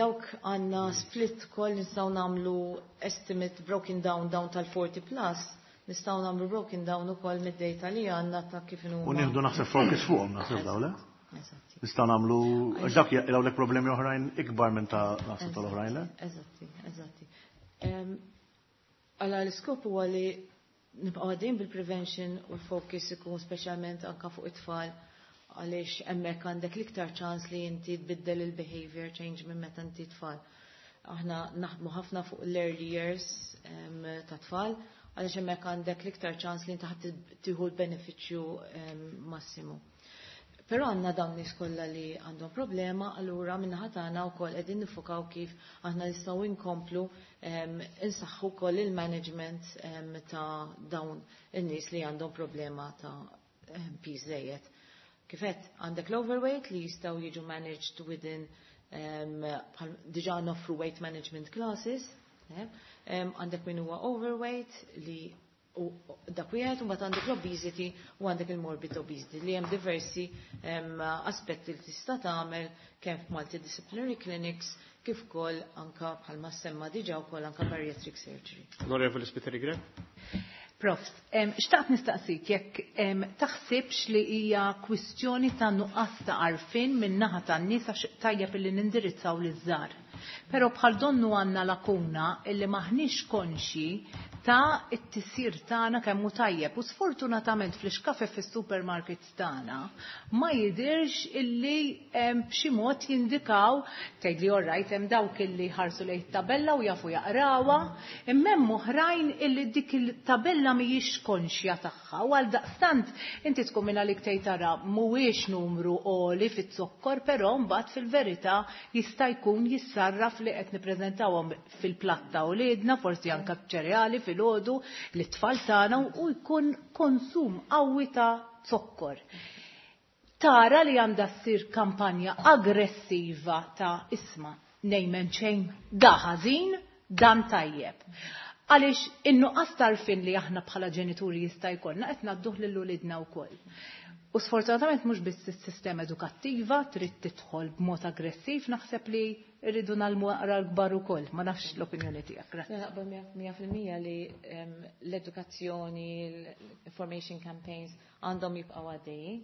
Dawk għandna split kol nistgħu nagħmlu estimate broken down down tal-40 plus, nistgħu nagħmlu broken down ukoll mid-data li għandna ta' kif inhuma. U nieħdu naħseb focus fuqhom naħseb daw le? Eżatti. Nistgħu nagħmlu għax dak jaqilgħulek problemi oħrajn ikbar minn ta' naħseb tal-oħrajn le? Eżatti, eżatti. Għala l-iskop huwa li nibqgħu għaddejjin bil-prevention u l-focus ikun speċjalment anka fuq it-tfal għaliex hemmhekk għandek l-iktar ċans li inti tbiddel il-behavior change minn meta inti tfal. Aħna naħdmu ħafna fuq l-early years ta' tfal għaliex hemmhekk għandek l-iktar ċans li inti ħadd tieħu l-benefiċċju massimu. Però għandna dawn nies kollha li għandhom problema, allura min-naħa tagħna wkoll qegħdin nifukaw kif aħna nistgħu inkomplu insaħħu wkoll il-management ta' dawn in-nies li għandhom problema ta' piż żejjed. Kif għedt, għandek l-overweight li jistgħu jiġu managed within diġà noffru weight management classes, għandek min huwa overweight li u dak wieħed, u mbagħad għandek l-obesity u għandek il-morbid obesity li hemm diversi aspetti li tista' tagħmel kemm f'multidisciplinary clinics kif ukoll anka bħalma semma diġà wkoll anka bariatric surgery. Onorevoli Spiteri Grech. Profs, xtaqt nistaqsik jekk taħsibx li hija kwistjoni ta' nuqqas ta' għarfien minn naħa tan-nies għax tajjeb illi nindirizzaw liż-żgħar. Però bħal donnu għandna lakuna illi maħniex konxi ta' it-tisir tagħna kemm hu tajjeb u sfortunatament fl-ixkafef fis-supermarkets tagħna ma jidirx illi b'xi mod jindikaw tgħid li all right hemm dawk illi ħarsu lejn tabella u jafu jaqrawha, imma hemm oħrajn illi dik il-tabella mhijiex konxja tagħha u għal daqstant inti tkun minn għalik tgħid tara mhuwiex numru għoli fiz-zokkor, però mbagħad fil-verità jista' jkun jissarraf li qed nippreżentawhom fil-platta u liedna, forsi anke ċereali fil-għodu li t-tfal tagħna u jkun konsum qawwi ta' zokkor. Tara li għandha ssir kampanja aggressiva ta' isma' name and shame, da ħażin, dan tajjeb. Għaliex in-nuqqas tarfin li aħna bħala ġenituri jista' jkollna qed ngħadduh lil uliedna wkoll. U sfortunatament mhux biss is-sistema edukattiva trid tidħol b'mod aggressiv, naħseb li rridu nagħmlu aqra l-kbar ukoll, ma nafx l-opinjoni tiegħek. Grazzi. Naqbel mija fil-mija li l-edukazzjoni, l-information campaigns għandhom jibqgħu għaddejjin.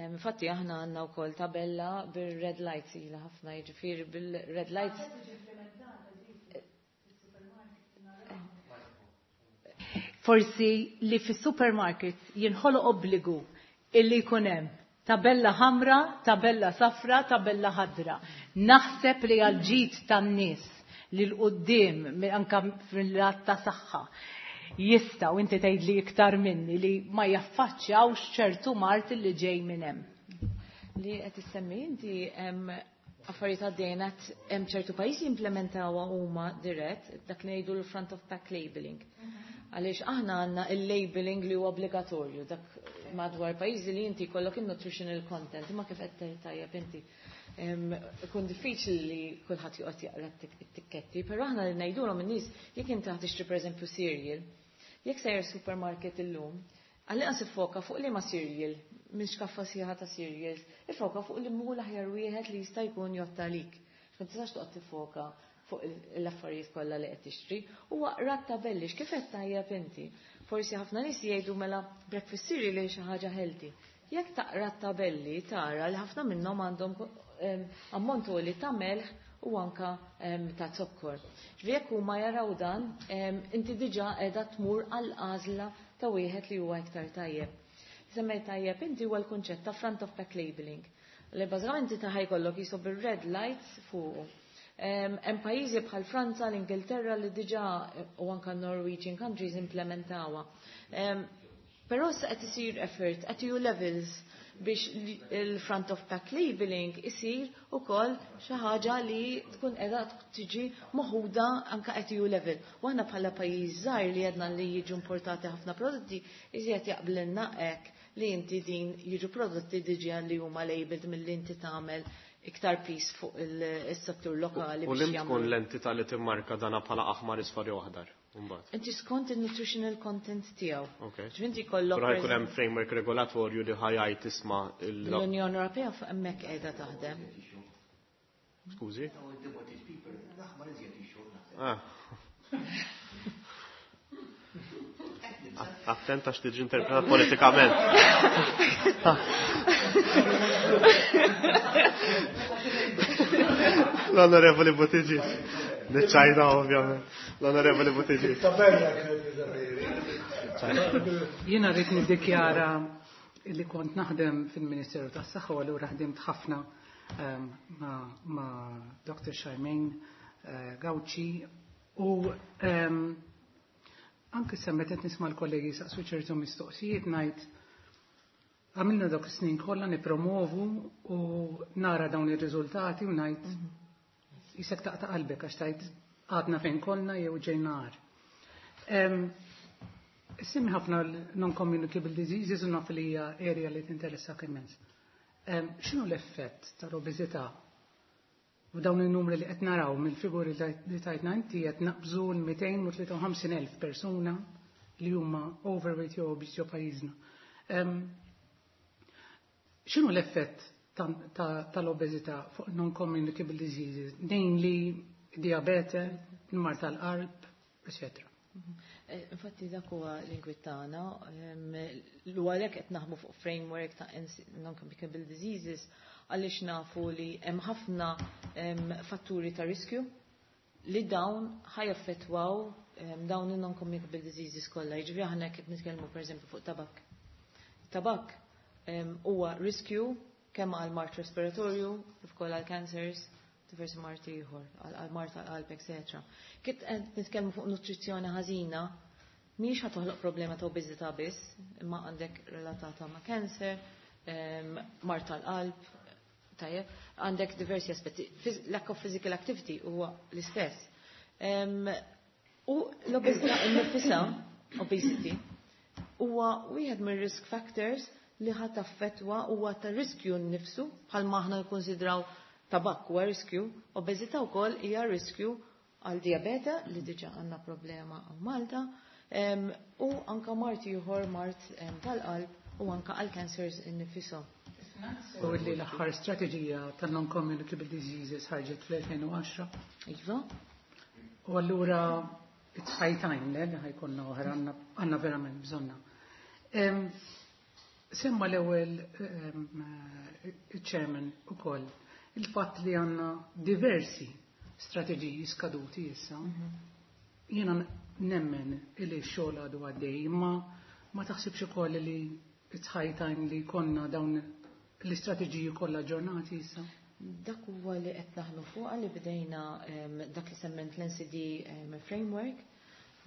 Infatti aħna għandna wkoll tabella bir-red lights ilha ħafna, jiġifieri bil-red lights. Forsi li fis-supermarkets jinħoloq obbligu illi jkun hemm Tabella ħamra, tabella safra, tabella ħadra. Naħseb li għal-ġid tan-nies li l-qoddim anka fil-lat ta' saħħa jistgħu inti tgħidli iktar minni li ma jaffaċċjawx ċertu mard li ġej minn hemm. Li qed issemmi inti affarijiet għaddejna hemm ċertu pajjiżi implementawha huma dirett dak li ngħidu l-front of pack labeling. Għaliex aħna għandna il-labeling li huwa obbligatorju dak madwar pajjiżi li inti jkollok il-nutritional content imma kif qed tgħid tajjeb inti. Ikun diffiċli li kulħadd joqgħod jaqra t-tikketti, però aħna li ngħidulhom in-nies jekk inti ħa tixtri pereżempju cereal, jekk sejjer supermarket illum, għallinqas iffoka fuq liema cereal, minn xkaffa sħiħa ta' cereals, ifoka fuq li mhu l-aħjar wieħed li jista' jkun jgħodd għalik. Ma tistax toqgħod tiffoka fuq l-affarijiet kollha li qed tixtri u aqra t-tabelli kif qed tajjeb inti. Forsi ħafna nies jgħidu mela breakfast cereal hi xi ħaġa healthy. Jekk taqra t-tabelli tara li ħafna minnhom għandhom ammont għoli ta' melħ u anka ta' zokkor. Ġifieri jekk huma jaraw dan, inti diġà qiegħda tmur għal għażla ta' wieħed li huwa iktar tajjeb. Semmejt tajjeb inti huwa l-kunċett ta' front of pack labeling. Li bażikament inti ta' jkollok jisu bir-red lights fuqu. Hemm pajjiżi bħal Franza, l-Ingilterra li diġà u anka Norwegian countries implementawha. Però issa qed isir effort at EU levels biex il-front of pack labeling isir ukoll xi ħaġa li tkun qiegħda tiġi moħuda anka at EU level. U aħna bħala pajjiż żgħir li għedna li jiġu importati ħafna prodotti, iżjed jaqblilna hekk li inti din jiġu prodotti diġà li huma labeled milli inti tagħmel iktar piż fuq il-settur lokali. U li tkun l-entità li timmarka dana bħala aħmar, isfar jew aħdar. Mbagħad. Inti skont il-nutritional content tiegħu. Ok. Ġifieri jkollok Però jkun hemm framework regolatorju li ħa jgħid tisma' l-Unjoni Ewropea fuq hemmhekk qiegħda taħdem. Skużi? Ah. Attent għax tiġi interpretat politikament. L-Onorevoli Buttigieg. Niċċajta ovvjament. L-Onorevoli Buttigieg. Jiena rrid niddikjara li kont naħdem fil-Ministeru tas-Saħħa u allura ħdimt ħafna ma' Dr. Charmaine Gauci u anke semmet qed nisma' l-kollegi saqsu ċertu mistoqsijiet ngħid għamilna dawk is-snin kollha nipromovu u nara dawn ir-riżultati u ngħid isek taqta' qalbek għax tgħid għadna fejn konna jew ġejna agħar. Semmi ħafna non-communicable diseases u naf li hija area li tinteressak immens. X'inhu l-effett tal-obeżità u dawn il-numri li qed naraw mill-figuri li tajtna inti qed naqbżu l-253,000 persuna li huma overweight jew obese ġo pajjiżna. X'inhu l-effett tal-obeżità fuq non-communicable diseases, namely diabete, il-mard tal-qalb, etc. Infatti dak huwa l-inkwiet tagħna, l għalhekk qed naħdmu fuq framework ta' non-communicable diseases għaliex nafu li hemm ħafna fatturi ta' riskju li dawn ħa jaffettwaw dawn il-non-communicable diseases kollha. Jiġifieri aħna qed nitkellmu pereżempju fuq tabak. Tabak huwa riskju kemm għal mard respiratorju, kif ukoll għal cancers, diversi mard ieħor, għal mard tal-qalb, etc. Kif qed nitkellmu fuq nutrizzjoni ħażina, mhix ħa toħloq problema ta' obeżità biss, imma għandek relatata ma' cancer, mard tal-qalb, tajjeb, għandek diversi aspetti. Lack of physical activity huwa l-istess. U l-obeżità innifisha, obesity, huwa wieħed mir-risk factors li ħa taffettwa huwa ta' riskju nnifsu bħalma aħna nikkonsidraw tabak huwa riskju, obeżità wkoll hija riskju għal diabete li diġà għandna problema hawn Malta, u anka mard ieħor mard tal-qalb u anka għal cancers innifisom. U li l-aħħar strateġija tal-non-communicable diseases ħarġet fl-2010. Iva. U allura it's high time, le, li ħa jkollna oħra għandna verament bżonna. Semma l-ewwel il-chairman ukoll il-fatt li għandna diversi strateġiji skaduti issa. Jiena nemmen li x-xogħol għadu għaddej, imma ma taħsibx ukoll li it's high time li konna dawn L-istrateġiji kollha aġġornati issa? Dak huwa li qed naħdmu fuqha, li bdejna dak li semmejt l-NCD framework,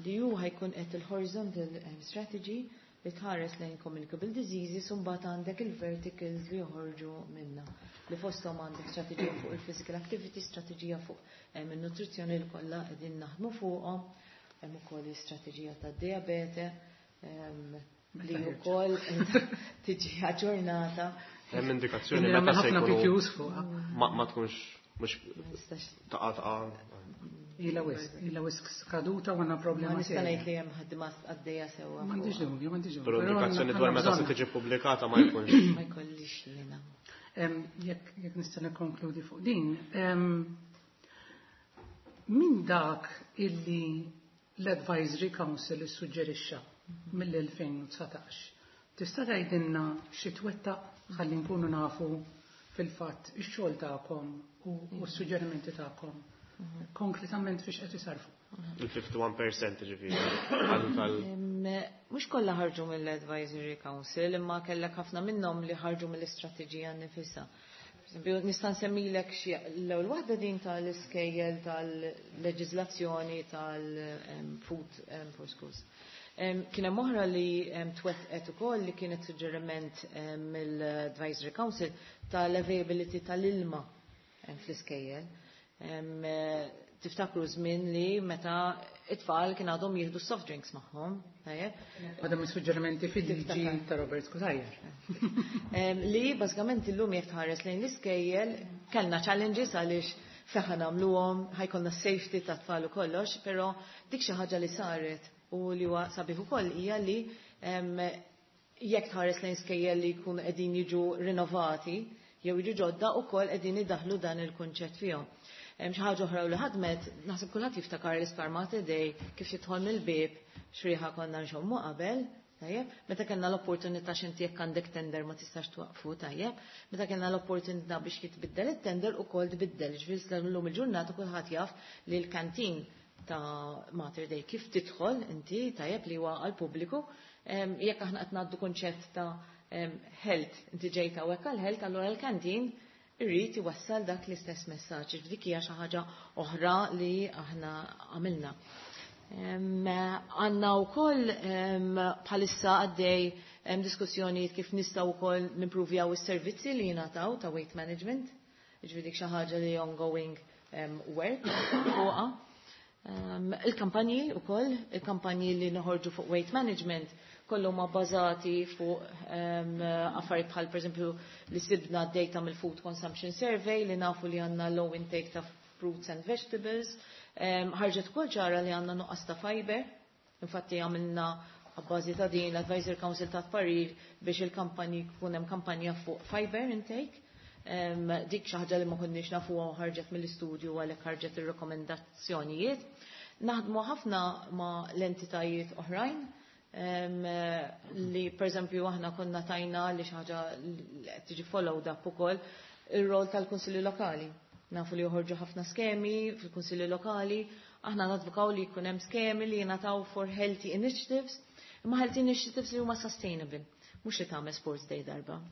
li hu ħa jkun qed il-horizontal strategy li tħares lejn communicable diseases, u mbagħad għandek il-verticals li joħorġu minna. Li fosthom għandek strateġija fuq il-physical activity, strateġija fuq il-nutrizzjoni li kollha qegħdin naħdmu fuqhom, hemm ukoll istrateġija tad-diabete li wkoll tiġi aġġornata. Hemm indikazzjoni meta se jkunu ma tkunx mhux taqa' taqa'. Ila wisq skaduta u għandna problema. Ma nista' ngħid li hemm ħadma għaddejja sewwa. M'għandix dubju, m'għandix dubju. Però indikazzjoni dwar meta se tiġi pubblikata ma jkunx. Ma jkollix jiena. Jekk nista' nikkonkludi fuq din. Min dak illi l-Advisory Council issuġġerixxa mill-2019, tista' tgħidilna xi twettaq ħalli nkunu nafu fil-fatt ix-xogħol tagħkom u s-suġġerimenti tagħkom konkretament fiex qed isarfu? Il-51% ġifieri. Mhux kollha ħarġu mill-Advisory Council, imma kellek ħafna minnhom li ħarġu mill-istrateġija nifisha. Nista' nsemmilek xi l-ewwel waħda, din tal-iskejjel, tal-leġiżlazzjoni tal-food for schools. Kien hemm oħra li twettqet ukoll, li kienet suġġeriment mill-Advisory Council, tal-availability tal-ilma fl-iskejjel. Tiftakru żmien li meta it-tfal kien għadhom jieħdu soft drinks magħhom. Għadhom is-suġġerimenti fil-liġi ta' Robert Cutajar. Li bażikament illum jekk tħares lejn l-iskejjel kellna challenges għaliex feħa nagħmluhom, ħa jkollna safety ta' tfal u kollox, però dik xi ħaġa li saret u li huwa sabiħ ukoll hija li jekk tħares lejn skejjel li jkunu qegħdin jiġu rinnovati jew jiġu ġodda, ukoll qegħdin idaħlu dan il-kunċett fihom. Xi ħaġa oħra li ħadmet, naħseb kulħadd jiftakar l-Isptar Mater Dei, kif jidħol mill-bieb x'riħa konna nxommu qabel, tajjeb, meta kellna l-opportunità, x'inti jekk għandek tender ma tistax twaqfu, tajjeb, meta kellna l-opportunità biex jitbiddel it-tender, ukoll tbiddel, ġifieri llum il-ġurnata kulħadd jaf li l-kantin ta' Mater Dei kif tidħol inti, tajjeb, li huwa għall-pubbliku, jekk aħna qed ngħaddu kunċett ta' health, inti ġejta hawnhekk għal health, allura l-kantin irrid iwassal dak l-istess messaġġ. Dik hija xi ħaġa oħra li aħna għamilna. Għandna wkoll bħalissa għaddej diskussjonijiet kif nistgħu wkoll nimprovjaw is-servizzi li jingħataw ta' weight management. Ġifieri dik xi ħaġa li ongoing work fuqha. Il-kampanji ukoll, il-kampanji li noħorġu fuq weight management kollu ma bażati fuq affarijiet bħal pereżempju li sibna data mill-Food Consumption Survey, li nafu li għandna low intake ta' fruits and vegetables. Ħarġet ukoll ċara li għandna nuqqas ta' fiber. Infatti għamilna għabbażi ta' din l-Advisory Council ta' parir biex il-kampanji jkun hemm kampanja fuq fiber intake. Dik xi ħaġa li ma konniex nafu, ħarġet mill-istudju, għalhekk ħarġet ir-rekomendazzjonijiet. Naħdmu ħafna ma' l-entitajiet oħrajn li per eżempju aħna konna tajna li xi ħaġa li qed tiġi followed up ukoll, ir-rol tal-Kunsilli Lokali. Nafu li joħorġu ħafna skemi fil-Kunsilli Lokali, aħna nadvokaw li jkun hemm skemi li jingħataw for healthy initiatives, imma healthy initiatives li huma sustainable, mhux li tagħmel sports day darba.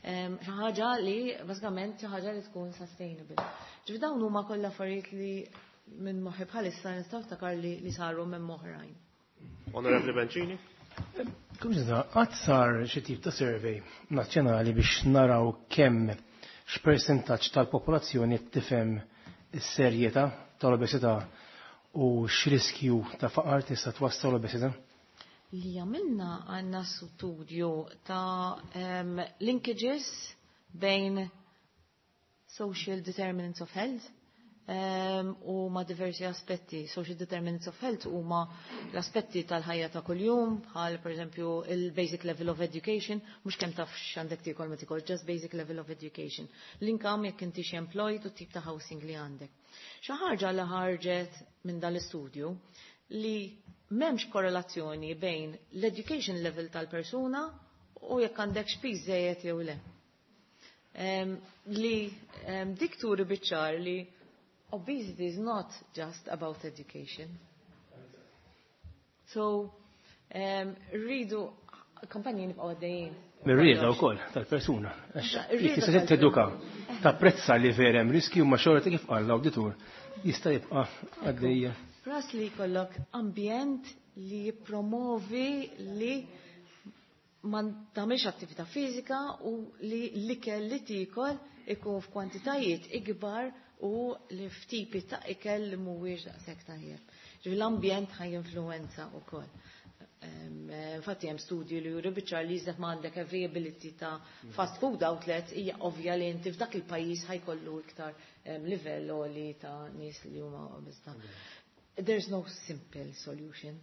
Xi ħaġa li bażikament xi ħaġa li tkun sustainable. Ġifieri dawn huma kollha affarijiet li minn moħħi bħalissa nistgħu niftakar li saru minn oħrajn. Onorevoli Bencini? Kumżida, għad sar xi tip ta' survey nazzjonali biex naraw kemm, x'persentaġġ tal-popolazzjoni tifhem is-serjetà tal-obesità u x'riskju ta' faqar tista' twassal l-obesità? Li għamilna, għandna studju ta' linkages bejn social determinants of health u ma' diversi aspetti. Social determinants of health huma l-aspetti tal-ħajja ta' kuljum, bħal per eżempju il-basic level of education, mhux kemm taf x'għandek tiekol ma tiekol, just basic level of education. L-income, jekk inti xi employed, u tip ta' housing li għandek. Xi ħaġa li ħarġet minn dal-istudju li m'hemmx korrelazzjoni bejn l-education level tal-persuna u jekk għandek piż żejjed jew le. Li dik turi biċ-ċar li obesity is not just about education. So, rridu kampanji nibqgħu għaddejjin. Mir-rieda wkoll tal-persuna. Għax tista' teduka, tapprezza li vera hemm riskju ma xorta kif qal l-awditur jista' jibqa' għaddejja. Pras li jkollok ambjent li jippromovi li ma tagħmilx attività fiżika u li l-ikel li tiekol ikun f'kwantitajiet ikbar u li f'tipi ta' ikel li mhuwiex daqshekk tajjeb. Ġifieri l-ambjent ħa jinfluwenza wkoll. Infatti hemm studji li juru biċ-ċar li iżda ma għandek availability ta' fast food outlets hija ovvja li inti f'dak il-pajjiż ħajkollu iktar livell għoli ta' nies li huma obeżità. There's no simple solution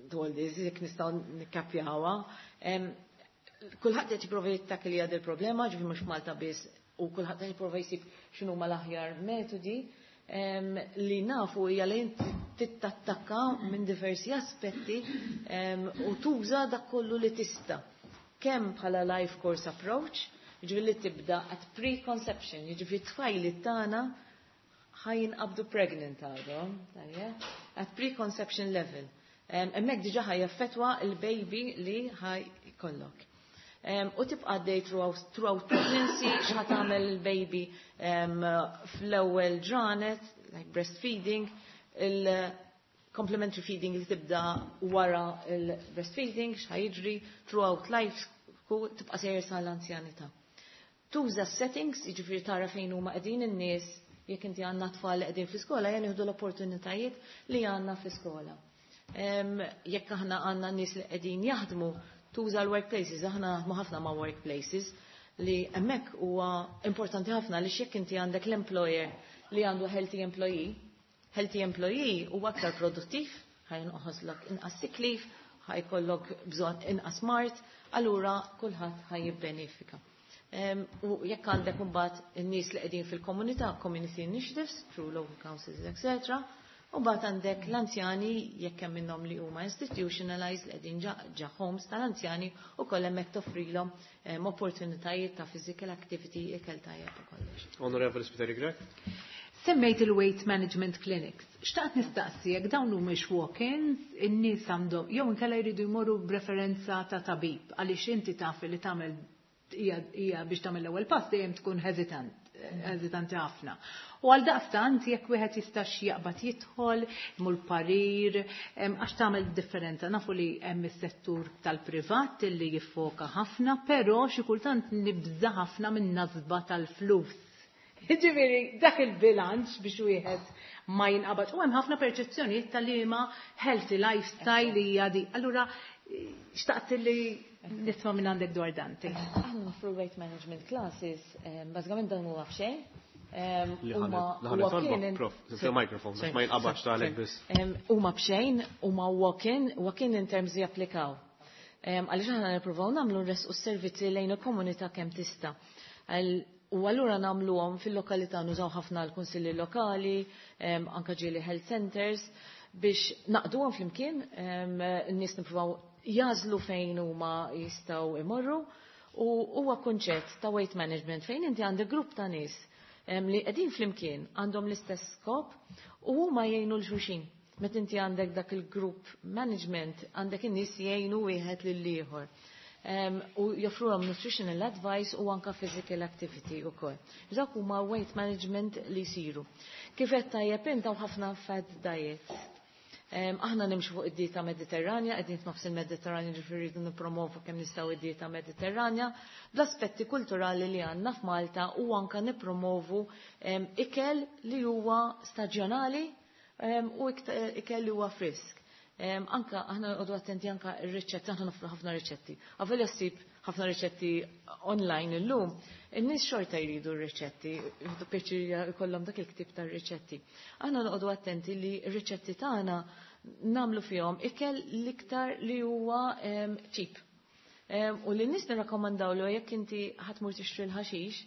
to all this, jekk nistgħu nikkapjawha. Kulħadd qed jipprova jittakilja il-problema, ġifieri mhux Malta biss, u kulħadd qed jipprova jsib x'inhuma l-aħjar metodi. Li nafu hija li inti tittattakka minn diversi aspetti u tuża dak kollu li tista'. Kemm bħala life course approach, jiġifieri li tibda at preconception, jiġifieri tfajli tagħna ħa jinqabdu pregnant għadhom, tajjeb, at preconception level. Hemmhekk diġà ħa jaffettwa il-baby li ħa jkollok. U tibqa' għaddej throughout pregnancy, x'ħa tagħmel il-baby fl-ewwel ġranet, like breastfeeding, il-complementary feeding li tibda wara il-breastfeeding, x'ħa jiġri throughout life, tibqa' sejjer sal-anzjanità. Tuża settings, jiġifieri tara fejn huma qegħdin in-nies, jekk inti għandna tfal li qegħdin fl-iskola, ejja nieħdu l-opportunitajiet li għandna fl-iskola. Jekk aħna għandna nies li qegħdin jaħdmu, tuża l-workplaces, aħna naħdmu ħafna ma' workplaces li hemmhekk huwa importanti ħafna li jekk inti għandek l-employer li għandu healthy employee, healthy employee huwa aktar produttiv, ħa jonqoslok inqas sick leave, ħa jkollok bżonn inqas mard, allura kulħadd ħa jibbenefika. U jekk għandek imbagħad in-nies li qegħdin fil-komunità, community initiatives, through local councils, etc. U mbagħad għandek l-anzjani jekk hemm minnhom li huma institutionalized li qegħdin ġa homes tal-anzjani u koll hemmhekk toffrilhom opportunitajiet ta' physical activity, ikel tajjeb u kollox. Onorevoli Spiteri Grech. Semmejt il-weight management clinics. Xtaqt nistaqsi jekk dawn mhumiex walk-ins, in-nies għandhom jew inkella jridu jmorru b'referenza ta' tabib għaliex inti taf li tagħmel hija biex tagħmel l-ewwel pass dejjem tkun hesitanti ħafna. U għal daqstant jekk wieħed jistax jaqbad jidħol, imur parir, għax tagħmel differenza. Nafu li hemm is-settur tal-privat li jiffoka ħafna, però xi kultant nibża ħafna minn nazba tal-flus. Ġifieri dak il-bilanċ biex wieħed ma jinqabad. U hemm ħafna perċezzjonijiet tal-liema healthy lifestyle li hija di. Allura xtaqt li nisma' minn għandek dwar dan. Aħna noffru weight management classes, bażikament dan huwa b'xejn. Li ħa prof, microphone, biex ma jinqabadx talek biss. Huma b'xejn, huma walk-in, walk-in in terms li japplikaw. Għaliex aħna nippruvaw nagħmlu nresqu s-servizzi lejn il-komunità kemm tista'. U allura nagħmluhom fil-lokalità, nużaw ħafna l-kunsilli lokali, anka ġieli health centers, biex naqduhom flimkien, n-nies nippruvaw jażlu fejn huma jistgħu imorru, u huwa kunċett ta' weight management fejn inti għandek grupp ta' nies li qegħdin flimkien għandhom l-istess skop u huma jgħinu 'l xulxin. Meta inti għandek dak il-group management, għandek in-nies jgħinu wieħed lil ieħor. U joffruhom nutritional advice u anka physical activity ukoll. Dak huma weight management li jsiru. Kif qed tajjeb int hawn ħafna fad diets. Aħna nimxu fuq id-dieta Mediterranja, qegħdin f'nofs il-Mediterranja, ġifieri rridu nippromovu kemm nistgħu id-dieta Mediterranja, bl-aspetti kulturali li għandna f'Malta u anka nippromovu ikel li huwa staġjonali u ikel li huwa frisk. Anka aħna nqogħdu attenti anka r-riċetti, aħna nofru ħafna riċetti. Avolja ssib ħafna riċetti online illum, in-nies xorta jridu r-riċetti, jridu pjaċir jkollhom dak il-ktib tar-riċetti. Aħna noqogħdu attenti li r-riċetti tagħna nagħmlu fihom ikel l-iktar li huwa cheap. U li n-nies nirrakkomandaw li jekk inti ħa tmur tixtri l-ħaxix,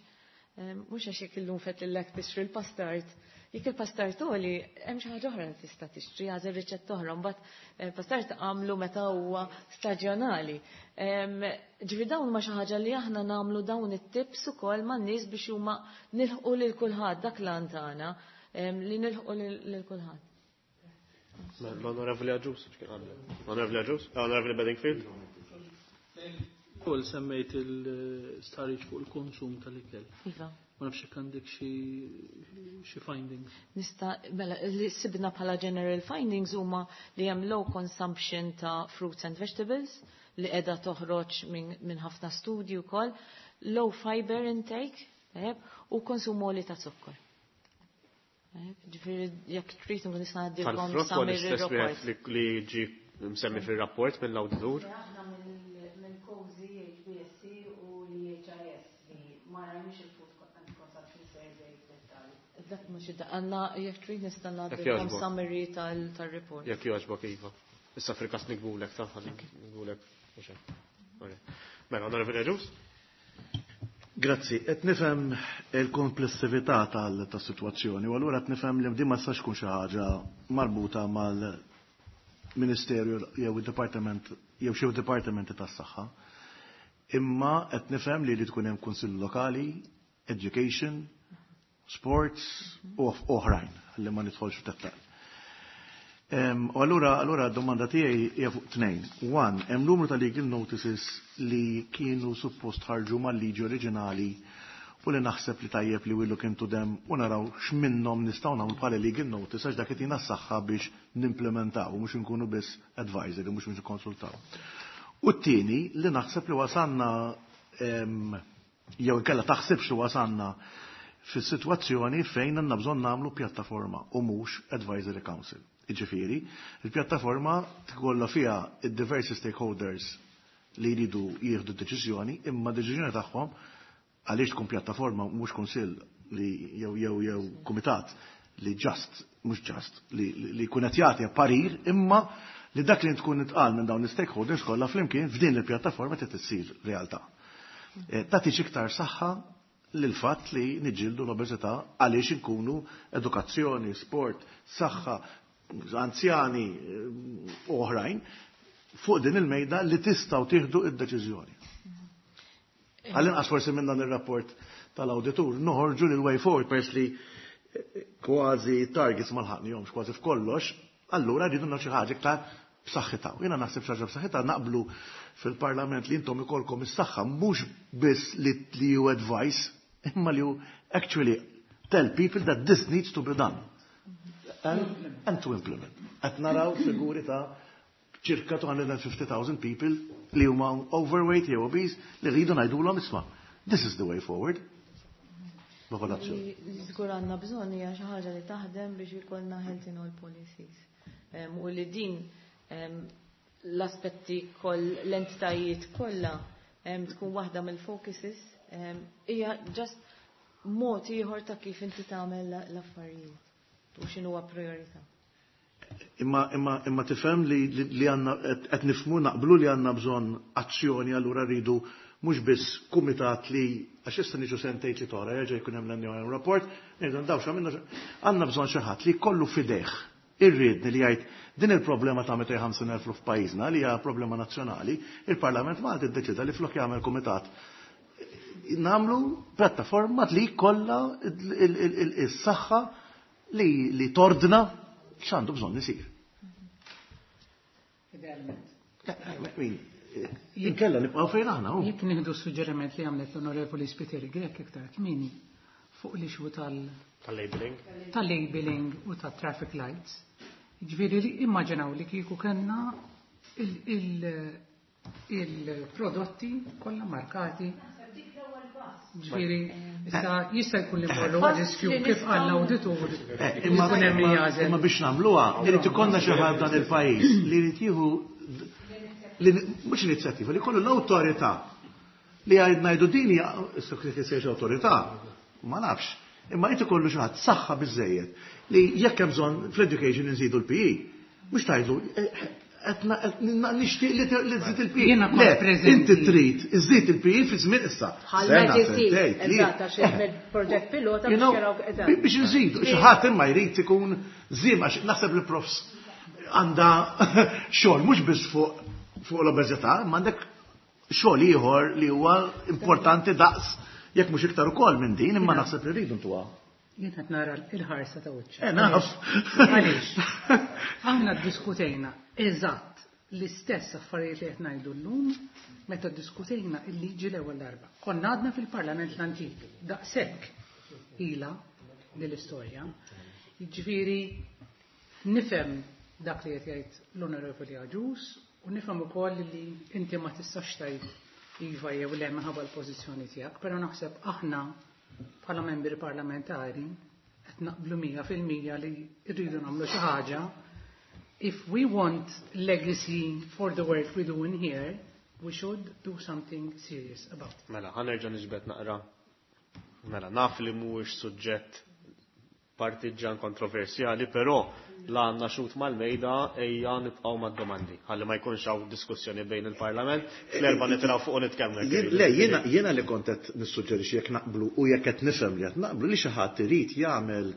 mhux għax jekk illum fettlilek tixtri l-pastard, jekk il-pastard għoli, hemm xi ħaġa oħra li tista' tixtri, għażel riċetta oħra, mbagħad pastard għamlu meta huwa staġjonali. Ġifieri dawn ma xi ħaġa li aħna nagħmlu dawn it-tips ukoll man-nies biex huma nilħqu lil kulħadd, dak l-għan tagħna, li nilħqu lil kulħadd. L-Onorevoli Agius, x'kien għandek? L-Onorevoli Agius? L-Onorevoli Bedingfield? Ukoll semmejt il-stħarriġ fuq il-konsum tal-ikel. Iva. Ma nafx jekk għandek xi findings. Nista, mela, li sibna bħala general findings huma li hemm low consumption ta' fruits and vegetables li qiegħda toħroġ minn ħafna studji wkoll, low fiber intake, tajjeb, u konsum għoli ta' zokkor. Ġifieri jekk trid nkun nista' ngħaddilkom Tal-frott huwa summary l-istess report. wieħed li ġie msemmi fir-rapport mill-awditur. Aħna mill-COSI, HBSC u l-HIS li ma rajniex il-food and consumption survey f'dettall. Dak mhux id għandna jekk trid nista' ngħaddilkom jogħġbok. summary tal-report. Jekk jogħġbok iva. Issa fil-każ nikbulek ta' ħalli nikbulek. Mhux hekk. Ok. Mela, Onorevoli Agius? Grazzi, qed nifhem il-komplessività tas-sitwazzjoni u allura qed nifhem li din ma tistax tkun xi ħaġa marbuta mal-Ministeru jew id-Dipartiment jew xi dipartimenti tas-saħħa. Imma qed nifhem li jrid tkun hemm kunsill lokali, education, sports u oħrajn, ħalli ma nidħolx f'dettall. U allura d-domanda tiegħi hija fuq tnejn. One, hemm numru ta' legal notices li kienu suppost ħarġu mal-liġi oriġinali u li naħseb li tajjeb li we look into them u naraw x'minnhom nistgħu nagħmlu bħala legal notice għax dak itina s-saħħa biex nimplementaw u mhux inkunu biss advisory, mhux biex nikkonsultaw. U t-tieni li naħseb li wasanna jew inkella taħsibx li wasanna fis-sitwazzjoni fejn għandna bżonn nagħmlu pjattaforma u mhux advisory council. Jiġifieri, il-pjattaforma tkollha fiha id-diversi stakeholders li jridu jieħdu deċiżjoni, imma deċiżjoni tagħhom għaliex tkun pjattaforma mhux kunsill li jew jew jew kumitat li just mhux just li jkun qed jagħti parir, imma li dak li tkun itqal minn dawn l-stakeholders kollha flimkien f'din il-pjattaforma trid issir realtà. Tagħti iktar saħħa lil fatt li niġġieldu l-obeżità għaliex inkunu edukazzjoni, sport, saħħa, anzjani u oħrajn fuq din il-mejda li tistgħu tieħdu id-deċiżjoni. Għall-inqas forsi minn dan ir-rapport tal-awditur noħorġu lil way forward pers li kważi targets ma lħaqnihomx kważi f'kollox, allura rridu nagħmlu xi ħaġa iktar b'saħħitha. U jiena naħseb xi ħaġa b'saħħitha naqblu fil-Parlament li intom ikolkom is-saħħa mhux biss li you advise, imma li you actually tell people that this needs to be done. And to implement. Qed naraw figuri ta' ċirka 250,000 people li huma overweight jew obese li rridu ngħidulhom isma'. This is the way forward. Popolazzjoni. Li żgur għandna bżonn hija xi ħaġa li taħdem biex ikollna health in all policies. U li din l-aspetti koll l-entitajiet kollha tkun waħda mill-focuses, hija just mod ieħor ta' kif inti tagħmel l-affarijiet u x'inhuwa priorità. Imma tifhem li għandna qed nifhmu naqblu li għandna bżonn azzjoni, allura rridu mhux biss kumitat li għax issa niġu sentejn li tora jerġa' jkun hemm l-annual rapport, ngħidu ndaw x'għamilna, għandna bżonn xi ħadd li jkollu f'idejh irridni li jgħid din il-problema ta' 250,000 f'pajjiżna li hija problema nazzjonali, il-Parlament Malti ddeċida li flok jagħmel kumitat nagħmlu pjattaforma li jkollha is-saħħa li tordna x'għandu bżonn isir. Idealment. Inkella nibqgħu fejn aħna, hu. Jekk nieħdu suġġeriment li għamlet l-Onorevoli Spiteri Grech iktar kmieni fuq l-issue tal-labeling. Tal-labeling u tat-traffic lights. Ġifieri li immaġinaw li kieku kellna il-prodotti kollha markati. Ġifieri, issa jista' jkun li mmorru Pass riskju li kif nistgħu qal l-awditur. Imma Jkun hemm min jagħżel. Imma biex nagħmluha, irid ikollna xi ħadd dan il-pajjiż li jrid jieħu li mhux inizjattiva, li jkollu l-awtorità li għajd ngħidu din hija issa kif isejx awtorità, ma nafx. Imma jrid ikollu xi ħadd saħħa biżejjed li jekk hemm bżonn fl-education inżidu l-PE, mhux tgħidlu qed nixtieq li tżid il-PE. Jiena kont Le, preżenti. inti trid iżid il-PE fi żmien issa. Bħal Sena, Magic sentejn, Seat, tliet. eżatt, għax hemm il-proġett pilota biex jaraw eżatt. Biex nżidu, xi ħadd imma jrid ikun żiem għax naħseb li profs għandha xogħol mhux biss fuq l-obeżità, imma għandek xogħol ieħor li huwa importanti daqs jekk mhux iktar ukoll minn din, imma naħseb li rridu ntuha. Jien qed nara l-ħarsa ta' wiċċ. Naf. Għaliex? Aħna ddiskutejna eżatt L-istess affarijiet li qed ngħidu llum meta ddiskutejna l-liġi l-ewwel darba. Konna għadna fil-Parlament l-antik, daqshekk ilha din l-istorja. Jiġifieri nifhem dak li qed jgħid l-Onorevoli Agius u nifhem ukoll li inti ma tistax tgħid iva jew le minħabba l-pożizzjoni tiegħek, però naħseb aħna bħala membri parlamentari qed naqblu 100% li rridu nagħmlu xi ħaġa. If we want legacy for the work we do in here, we should do something serious about it. Mela, ħa nerġa' niġbed naqra. Mela, naf li mhuwiex suġġett partiġġan kontroversjali, però la għandna xut mal-mejda ejja nibqgħu mad-domandi. Ħalli ma jkunx hawn diskussjoni bejn il-Parlament, fl-erba' nitilgħu fuq u nitkellmu. Le, jiena li kont qed nissuġġerixxi jekk naqblu u jekk qed nifhem li qed naqblu li xi ħadd irid jagħmel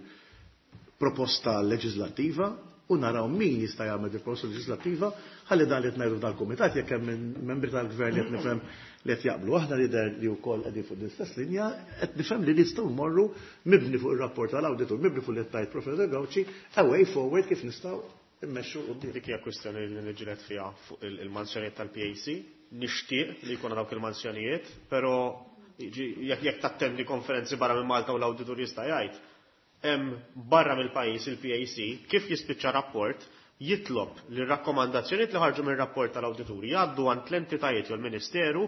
proposta leġislattiva u naraw min jista' jagħmel il proposta leġislattiva ħalli dan li qed ngħidu dal-kumitat jekk hemm membri tal-gvern li qed nifhem li qed jaqblu aħna li der li wkoll qegħdin fuq l-istess linja qed nifhem li nistgħu mmorru mibni fuq ir-rapport tal-awditur, mibni fuq li qed tgħid Professor Gauci, a way forward kif nistgħu immexxu quddiem. Dik hija kwistjoni li niġġieled fiha fuq il-mansjonijiet tal-PAC. Nixtieq li jkun dawk il-mansjonijiet, però jekk tattendi konferenzi barra minn Malta u l-awditur jista' jgħid, hemm barra mill-pajjiż il-PAC kif jispiċċa rapport jitlob li r-rakkomandazzjonijiet li ħarġu mir-rapport tal-awdituri jgħaddu għand l-entitajiet jew l-Ministeru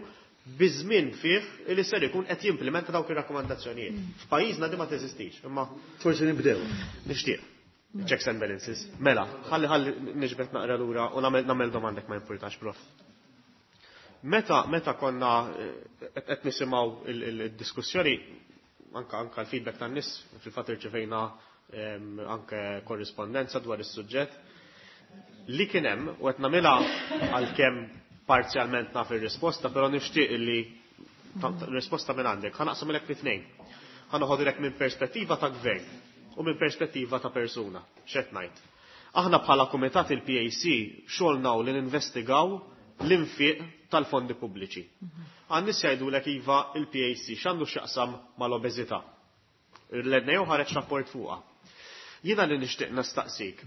biż-żmien fih li ser ikun qed jimplementa dawk ir-rakkomandazzjonijiet. F'pajjiżna di ma teżistix, imma forsi nibdew. Nixtieq. Checks and balances. Mela, ħalli ħalli niġbed naqra lura u nagħmel domandek ma jimpurtax, prof. Meta konna qed nisimgħu il-diskussjoni, anka l-feedback tan-nies, fil-fatt irċevejna anke korrispondenza dwar is-suġġett, li kien hemm u qed nagħmilha għalkemm parzjalment naf ir-risposta, però nixtieq li risposta minn għandek. Ħa naqsamilek fi tnejn. Ħa noħodilek minn perspettiva ta' gvern u minn perspettiva ta' persuna. X'qed ngħid? Aħna bħala kumitat il-PAC xogħolna li ninvestigaw l-infiq tal-fondi pubbliċi. Għan-nies jgħidulek iva il-PAC x'għandu x'jaqsam mal-obeżità. L-NAO ħareġ rapport fuqha. Jiena li nixtieq nistaqsik.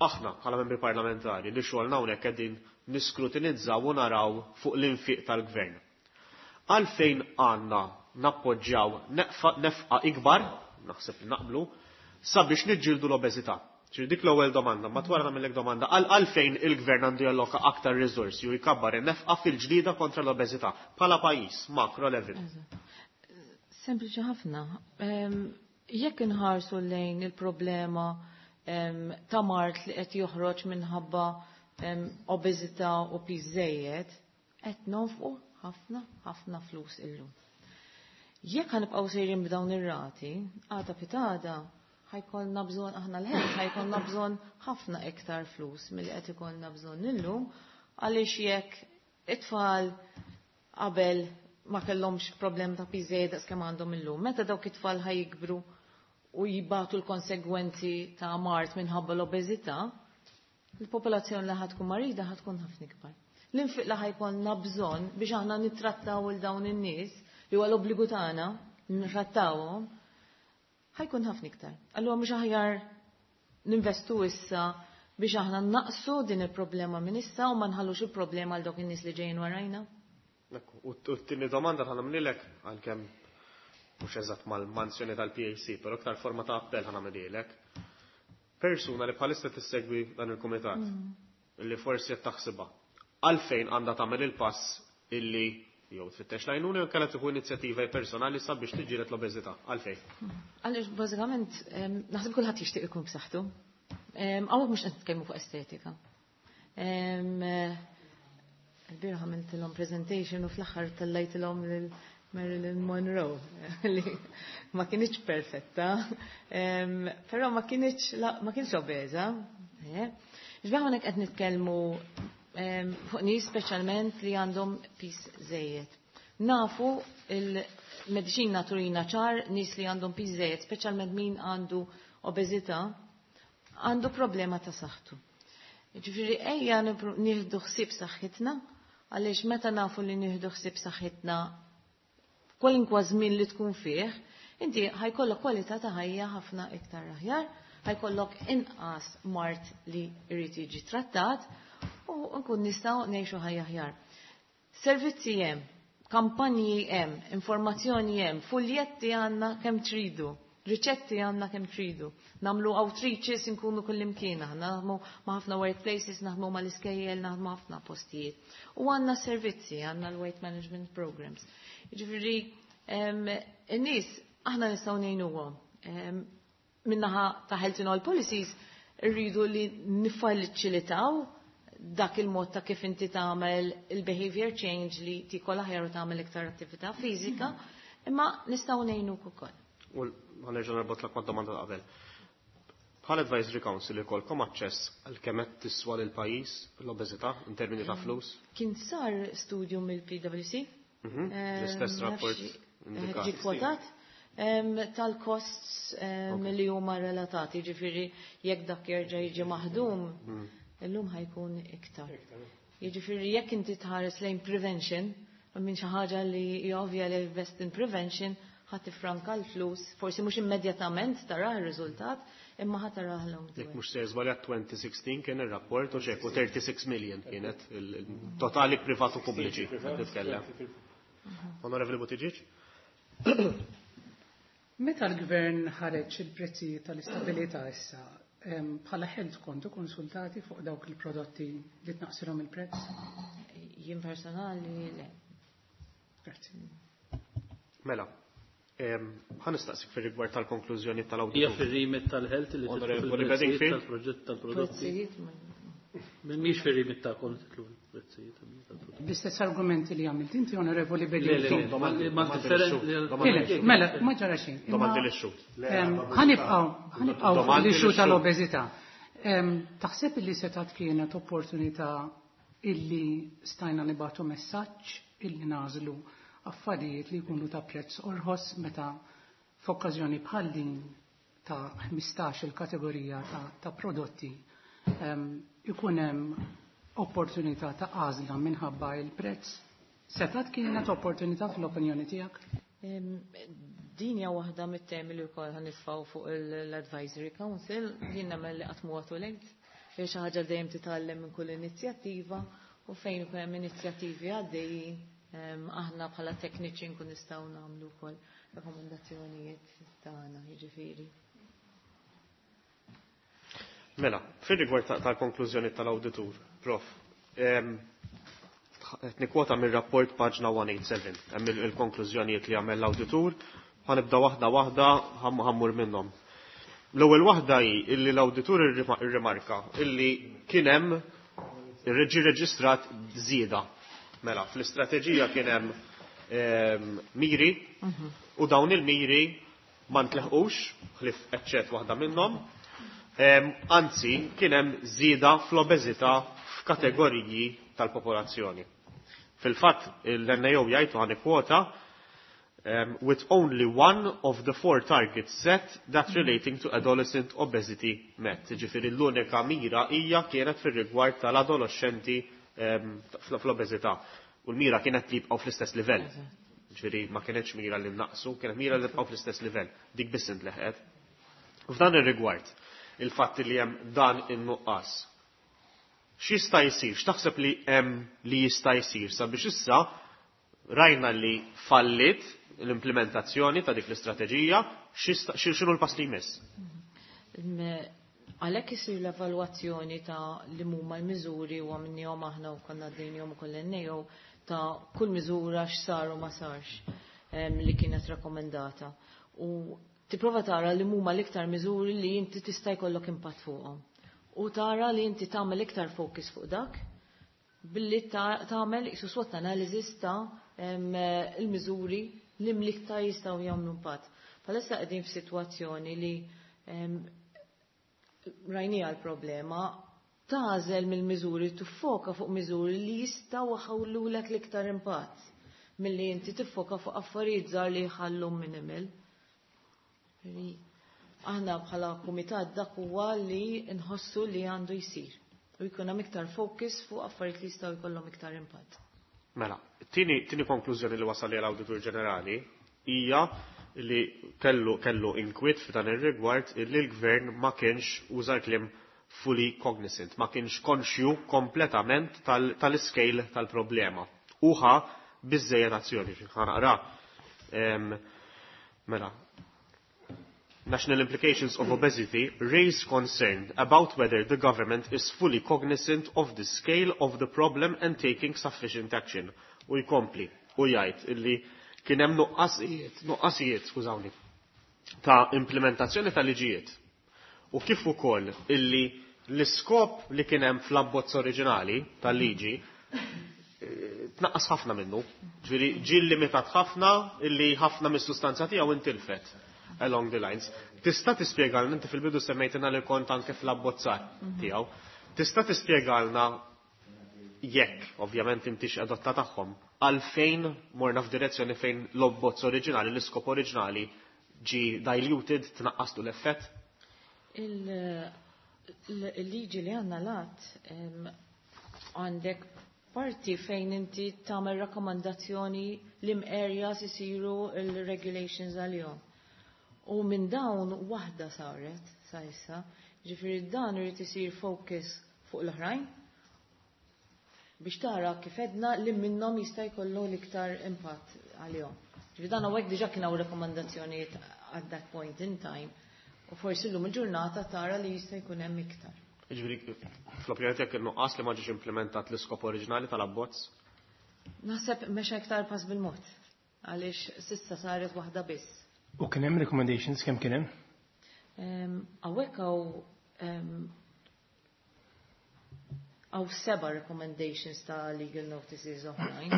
Aħna bħala membri parlamentari li xogħolna hawnhekk qegħdin niskrutinizzaw u naraw fuq l-infiq tal-gvern. Għalfejn għandna nappoġġjaw nefqa ikbar, naħseb li naqblu, sabiex niġġieldu l-obeżità. Ġifieri dik l-ewwel domanda, ma twara nagħmellek domanda, għalfejn il-gvern għandu jalloka aktar riżorsi u jkabbar in-nefqa fil-ġlida kontra l-obeżità bħala pajjiż, macro level. Sempliċi ħafna. Jekk inħarsu lejn il-problema ta' mard li qed joħroġ minħabba obeżità u piż żejjed, qed nonfqu ħafna ħafna flus illum. Jekk ħanibqgħu sejrin b'dawn ir-rati, għada pitgħada ħajkollna bżonn aħna l-ħel, ħajkollna bżonn ħafna iktar flus milli qed ikollna bżonn illum, għaliex jekk it-tfal qabel ma kellhomx problem ta' piż żejjed daqs kemm għandhom illum, meta dawk it-tfal ħajkbru u jibatu l-konsegwenzi ta' mard minħabba l-obeżità, il-popolazzjoni li ħatkun marida ħatkun ħafna ikbar. L-infiq li ħajkollna bżonn biex aħna nittrattaw il dawn in-nies li huwa l-obbligu tagħna nittrattawhom, ħajkun ħafna iktar. Allura mhux aħjar ninvestu issa biex aħna naqsu din il-problema minn issa u ma nħallux il-problema għal dawk in-nies li ġejjin warajna. U t-tieni domanda ħa nagħmlilek għalkemm mhux eżatt mal-mansjoni tal-PAC, però aktar forma ta' appell ħa nagħmlilek. Persuna li bħalissa tissegwi dan il-kumitat, li forsi qed taħsibha, għalfejn għandha tagħmel il-pass illi jew tfittex l-għajnuna jew kellha tieħu inizjattiva personali sabiex tiġġieled l-obeżità. Għalfejn? Għaliex bażikament naħseb kulħadd jixtieq ikun b'saħħtu. Hawnhekk mhux qed nitkellmu fuq estetika. Il-bieraħ għamiltilhom presentation u fl-aħħar tellajtilhom lil Marilyn Monroe li ma kienx perfetta, però ma kienx obeża. Ġbieħ hawnhekk qed nitkellmu fuq nies speċjalment li għandhom piż żejjed. Nafu il-mediċina turina ċar nies li għandhom piż żejjed, speċjalment min għandu obeżità, għandu problema ta' saħħtu. Ġifieri ejja nieħdu ħsieb saħħitna, għaliex meta nafu li nieħdu ħsieb saħħitna kwalinkwa żmien li tkun fih, inti ħajkollok kwalità ta' ħajja ħafna iktar aħjar, ħajkollok inqas mard li jrid jiġi trattat, u nkun nistgħu ngħixu ħajja aħjar. Servizzi hemm, kampanji hemm, informazzjoni hemm, fuljetti għandna kemm tridu, riċetti għandna kemm tridu. Namlu outreaches nkunu kullimkien aħna, naħdmu ma' ħafna workplaces, naħdmu mal-iskejjel, naħdmu ħafna postijiet. U għandna servizzi, għandna l-weight management programs. Jiġifieri in-nies aħna nistgħu ngħinuhom. Min-naħa ta' Health in All Policies rridu li niffaċilitaw dak il-mod ta' kif inti tagħmel il-behavior change li tikol aħjar u tagħmel iktar attività fiżika, imma nistgħu ngħinuk ukoll. U ħa nerġa' norbot mad-domanda ta' qabel. Bħal Advisory Council ikolkom aċċess għal kemm qed tiswa lil pajjiż l-obeżità in termini ta' flus? Kien sar studju mill-PwC. L-istess rapport indikat. Ġie kwotat tal-costs li huma relatati, ġifieri jekk dak jerġa' jiġi maħdum, illum ħa jkun iktar. Jiġifieri jekk inti tħares lejn prevention, minn xi ħaġa li hija ovvja li invest in prevention, ħa tifranka l-flus, forsi mhux immedjatament taraħ ir-riżultat, imma ħa taraħ long term. Jekk mhux se żbaljat 2016 kien ir-rapport u xek u 36 million kienet il-totali privat u pubbliċi qed nitkellem. Onorevoli Buttigieg? Meta l-gvern ħareġ il-prezzijiet tal-istabilità issa, bħala Health kontu konsultati fuq dawk il-prodotti li tnaqsilhom il-prezz? Jien personali le. Grazzi. Mela, ħa nistaqsik fir-rigward tal-konklużjoni tal-awditur. Hija fir-remit tal-Health li tidħol Onorevoli fil-prezzijiet Bedingfield. tal-proġett tal-prodotti. Prezzijiet ma- Mhix fir-remit tagħkom titlu prezzijiet tal-prodotti. L-istess argumenti li għamilt inti, Onorevoli Le, le, le, Bedingfield. ma- ma differenti. Mela, mela, ma ġara xejn. Imma, Domandi lix-xhud. Ħanibqgħu fuq Domandi l-issue lix-xhud. tal-obeżità. Taħseb illi setat kienet opportunità illi stajna nibatu messaġġ illi nażlu affarijiet li jkunu ta' prezz orħos meta f'okkażjoni bħal din ta' 15 il-kategorija ta' prodotti ikun hemm opportunità ta' għażla minħabba il-prezz. Setat kienet opportunità fl-opinjoni tiegħek? Din hija waħda mit-temi li wkoll ħa nitfgħu fuq l-Advisory Council, jien nagħmel li qatt mhu too late. Hija xi ħaġa li dejjem titgħallem minn kull inizjattiva u fejn ikun hemm inizjattivi għaddejjin, aħna bħala tekniċi nkun nistgħu nagħmlu wkoll rakkomandazzjonijiet tagħna, jiġifieri. Mela, fir-rigward tal-konklużjoni tal-awditur, Prof, qed nikkwota mir-rapport paġna 187, hemm il-konklużjonijiet li għamel l-awditur, ħa nibda waħda waħda ħa mmur minnhom. L-ewwel waħda hi illi l-awditur irrimarka illi kien hemm ġie reġistrat żieda. Mela, fl-istrateġija kien hemm miri u dawn il-miri ma ntleħqux, ħlief eċċett waħda minnhom. Anzi, kien hemm żieda fl-obeżità f'kategoriji tal-popolazzjoni. Fil-fatt, l-NAO jgħid ħa nikkwota, with only one of the four targets set that relating to adolescent obesity met. Ġifieri l-unika mira hija kienet fir-rigward tal-adolescenti fl-obeżità. U l-mira kienet li jibqgħu fl-istess livell. Ġifieri ma kienetx mira li naqsu, kienet mira li jibqgħu fl-istess livell. Dik biss intleħqet. F'dan ir-rigward, il-fatt li hemm dan in-nuqqas. X'jista' jsir? X'taħseb li hemm li jista' jsir sabiex issa rajna li fallit l-implementazzjoni ta' dik l-istrateġija, x'inhu l-pass li jmiss? Għalhekk isir l-evalwazzjoni ta' li huma l-miżuri u għamilnihom aħna u konna għaddejnihom ukoll NAO ta' kull miżura x'sar u ma sarx li kienet rakkomendata. U tipprova tara li huma l-iktar miżuri li inti tista' jkollok impatt fuqhom. U tara li inti tagħmel iktar focus fuq dak billi tagħmel isu SWOT analysis ta' il-miżuri li l-iktar jistgħu jagħmlu impatt. Bħalissa qegħdin f'sitwazzjoni li rajnija l-problema, tagħżel mill-miżuri, tiffoka fuq miżuri li jistgħu jħallulek l-iktar impatt milli inti tiffoka fuq affarijiet żgħar li jħallu minimal. Aħna bħala kumitat dak huwa li nħossu li għandu jsir u jkun hemm iktar focus fuq affarijiet li jistgħu jkollhom iktar impatt. Mela, tieni konklużjoni li wasal l-Awditur Ġenerali hija li kellu inkwiet f'dan ir-rigward li l-gvern ma kienx uża l-kliem fully cognizant, ma kienx konxju kompletament tal-scale tal-problema. Uħa biżejjed azzjoni, ħa naqra. Mela, National implications of obesity raise concern about whether the government is fully cognizant of the scale of the problem and taking sufficient action. U jkompli, u jgħid illi kien hemm nuqqasijiet, nuqqasijiet, skużawni, ta' implementazzjoni ta' liġijiet. U kif ukoll illi l-iskop li kien hemm fl-abbozz oriġinali tal-liġi tnaqqas ħafna minnu. Ġifieri ġie limitat ħafna illi ħafna mis-sustanza tiegħu intilfet along the lines. Tista' tispjegalna, inti fil-bidu semmejtina li kont anke fl-abbozzar tiegħu. Tista' tispjegalna jekk, ovvjament intix adotta tagħhom, għalfejn morna f'direzzjoni fejn l-abbozz oriġinali, l-iskop oriġinali ġi diluted, tnaqqaslu l-effett? Il-liġi li għandna lat għandek parti fejn inti tagħmel rakkomandazzjoni li areas isiru il-regulations għalihom. U minn dawn waħda saret sa issa, ġifieri dan irid isir focus fuq l-oħrajn biex tara kif edna li minnhom jista' jkollu l-iktar impatt għalihom. Ġifieri dan hawnhekk diġà kien hawn rakkomandazzjonijiet at that point in time u forsi llum il-ġurnata tara li jista' jkun hemm iktar. Ġifieri fl-opinjoni tiegħek in-nuqqas li ma ġiex implementat l-iskop oriġinali tal-abbozz? Naħseb mexa iktar pass bil-mod għaliex s'issa saret waħda biss. U kien hemm recommendations, kemm kien hemm? Hawnhekk hawn seba' recommendations ta' legal notices oħrajn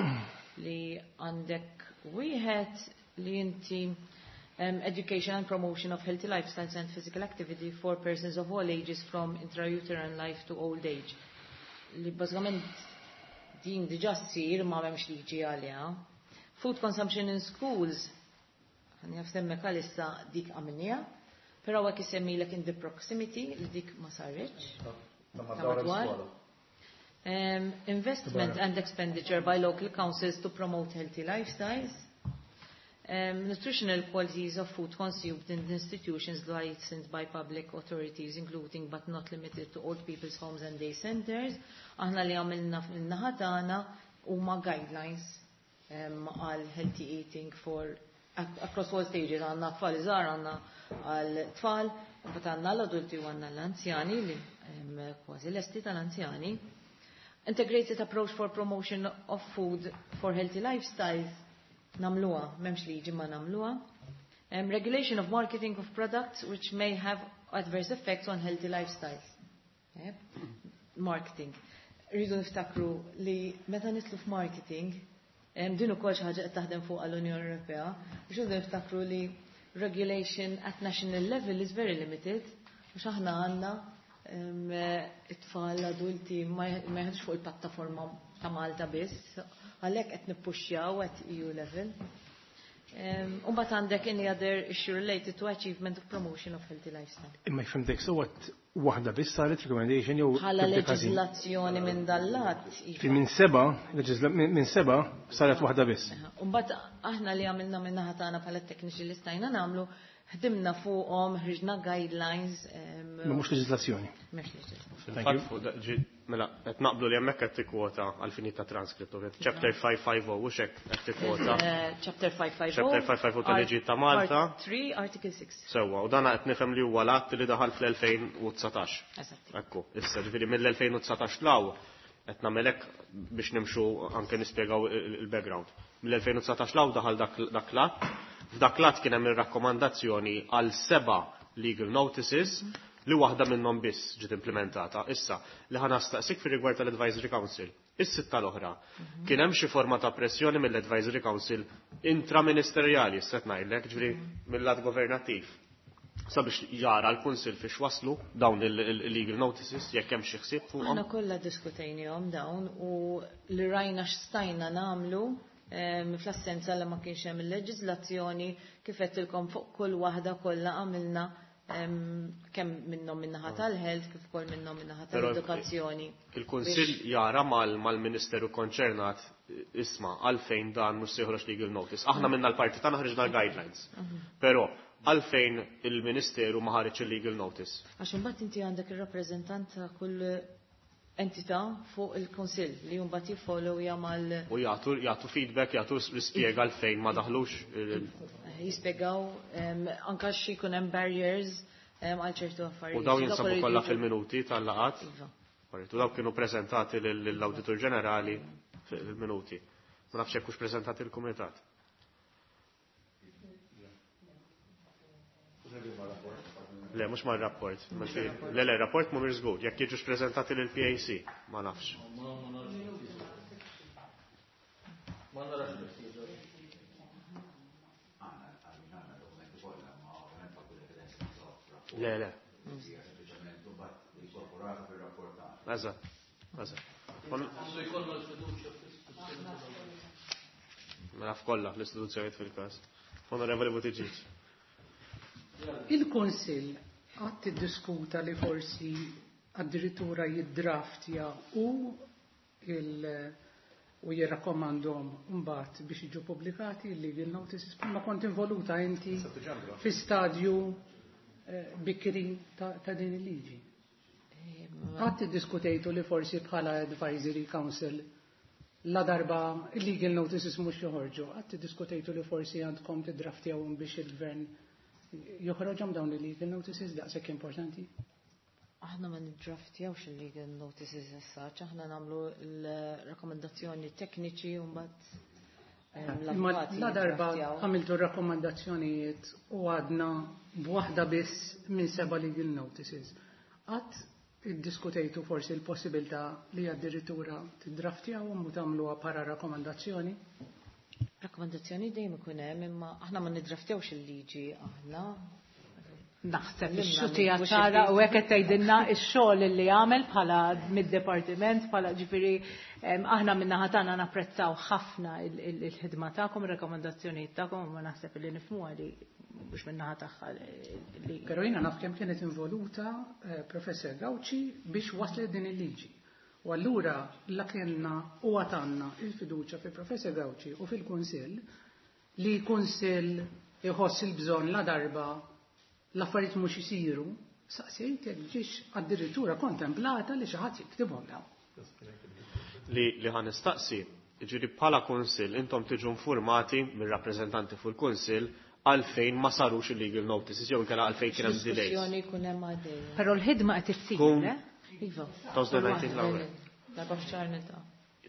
li għandek wieħed li inti education and promotion of healthy lifestyles and physical activity for persons of all ages from intrauterine life to old age. Li bażikament din diġà ssir ma m'hemmx liġi għaliha. Food consumption in schools, ħa nsemmek għalissa dik għamilniha, però hekk isemmilek in the proximity li dik ma sarritx. Ta' madwar madwar. l-iskola. Investment and expenditure by local councils to promote healthy lifestyles. Nutritional qualities of food consumed in institutions licensed by public authorities, including but not limited to old people's homes and day centers. Aħna li għamilna fil-naħa tagħna huma guidelines għal healthy eating for across all stages. Għandna tfal iżgħar, għandna għal tfal, mbagħad għandna l-adulti u għandna l-anzjani li kważi lesti tal-anzjani. Integrated approach for promotion of food for healthy lifestyles, nagħmluha, m'hemmx liġi ma nagħmluha. Regulation of marketing of products which may have adverse effects on healthy lifestyles. Yep. Marketing. Rridu niftakru li meta nidħlu f'marketing, din ukoll xi ħaġa qed taħdem fuq għall-Unjoni Ewropea, biex rridu niftakru li regulation at national level is very limited, għax aħna għandna it-tfal adulti ma jħedx fuq il-pattaforma ta' Malta biss, għalhekk qed nippuxxjaw at EU level. U mbagħad għandek any other issue related to achievement of promotion of healthy lifestyle. Imma jfhimtek so what waħda biss saret recommendation jew Bħala tibda każin? leġiżlazzjoni minn dal-lat. Fi minn seba saret waħda biss. U mbagħad aħna li għamilna minn naħa tagħna bħala tekniċi li stajna nagħmlu, ħdimna fuqhom, ħriġna guidelines. Ma mhux leġiżlazzjoni. Mhux leġiżlazzjoni. Fil-fatt fuq mela, qed naqblu li hemmhekk qed tikkwota għal fini ta' transcript, ovvjament. Chapter 550 u xek qed tikkwota. Chapter 550. Chapter 550 tal-liġi ta' Malta. Part 3, Article 6. Sewwa, u dan qed nifhem li huwa l-att li daħal fl-2019. Eżatt. Ekku, issa ġifieri mill-2019 law qed nagħmelek biex nimxu anke nispjegaw il-background. Mill-2019 law daħal dak l-att. F'dak l-att kien hemm ir-rakkomandazzjoni għal 7 legal notices li waħda minnhom biss ġiet implementata. Issa, li ħa nistaqsik fir-rigward tal-Advisory Council. Is-sitta l-oħra. Kien hemm xi forma ta' pressjoni mill-Advisory Council intraministerjali, se ngħidlek, ġifieri mill-lat governattiv, sabiex jara l-Kunsill fiex waslu dawn il-legal notices, jekk hemm xi ħsieb fuqhom. Aħna kollha diskutejnihom dawn u li rajna x'stajna nagħmlu fl-assenza li ma kienx hemm il-leġiżlazzjoni, kif qedtilkom fuq kull waħda kollha għamilna kemm minnhom min-naħa tal-health kif ukoll minnhom min-naħa Però tal-edukazzjoni. Il-Kunsill jara mal-Ministeru konċernat isma' għalfejn dan mhux se joħroġ legal notice. Aħna minna l-parti tagħna ħriġna l-guidelines. Però Għalfejn il-Ministeru ma ħareġ il-legal notice? Għax imbagħad inti għandek ir-rappreżentant ta' kull entità fuq il-Kunsill li mbagħad jiffollowja mal U jagħtu feedback, jagħtu l-ispjega għalfejn ma daħlux jispjegaw anke xi jkun hemm barriers għal ċertu affarijiet. U dawn jinsabu kollha fil-minuti tal-laqgħat? Iva. U dawn kienu preżentati lill-Awditur Ġenerali fil-minuti. Ma nafx jekk hux preżentati l-Kumitat. Le, mhux mar-rapport. Le, rapport mhumiex żgur. Jekk jiġux preżentati lill-PAC, ma nafx. Ma narax l-ħtieġa. Le. Eżatt, eżatt. Għandu jkollna l-fiduċja fl-istituzzjoni. Ma naf kollha fl-istituzzjonijiet fil-każ. Onorevoli Buttigieg. Il-Kunsill qatt tiddiskuta li forsi addirittura jiddraftja u u jirrakkomandhom mbagħad biex jiġu pubblikati il-legal notices ma kont involuta inti fi stadju bikri ta' din il-liġi. Qatt iddiskutejtu li forsi bħala advisory council la darba legal notices mhux joħorġu, qatt iddiskutejtu li forsi għandkom tiddraftjawhom biex il-gvern joħroġhom dawn il-legal notices daqshekk importanti? Aħna ma niddraftjawx il-legal notices as such, aħna nagħmlu l-rakkomandazzjoni tekniċi u mbagħad Imma la darba għamiltu rakkomandazzjonijiet u għadna b'waħda biss minn 7 legal notices. Qatt iddiskutejtu forsi l-possibilità li addirittura tiddraftjawhom u tagħmluha para rakkomandazzjoni? Rakkomandazzjoni dejjem ikun hemm, imma aħna ma niddraftjawx il-liġi aħna. Naħseb Limna ix-xutija mhux ċara il-liġi. u hekk qed tgħidilna x-xogħol li għamel bħala mid-dipartiment, bħala ġifieri aħna min-naħa tagħna napprezzaw ħafna il-ħidma tagħkom, ir-rakkomandazzjonijiet tagħkom, u ma naħseb li nifhmuha li mhux min-naħa tagħha li Però jiena naf kemm kienet involuta Professor Gauci biex waslet din il-liġi. U allura la kellna u għatanna il-fiduċja fi Professor Gauci u fil-Kunsill li Kunsill iħoss il-bżonn la darba l-affarijiet mhux isiru, saqsejt jekk ġiex addirittura kontemplata li xi ħadd jiktibhom dawn. Li ħa nistaqsi, jiġifieri bħala Kunsill intom tiġu informati mir-rappreżentanti fuq il-Kunsill għalfejn ma sarux il-legal notices jew inkella għalfejn kien hemm delays. Diskussjoni jkun hemm għaddejja. Però l-ħidma qed issir, Tkun eh? Iva. 2019 l-ewwel. Darba f'xahar niltaqa'.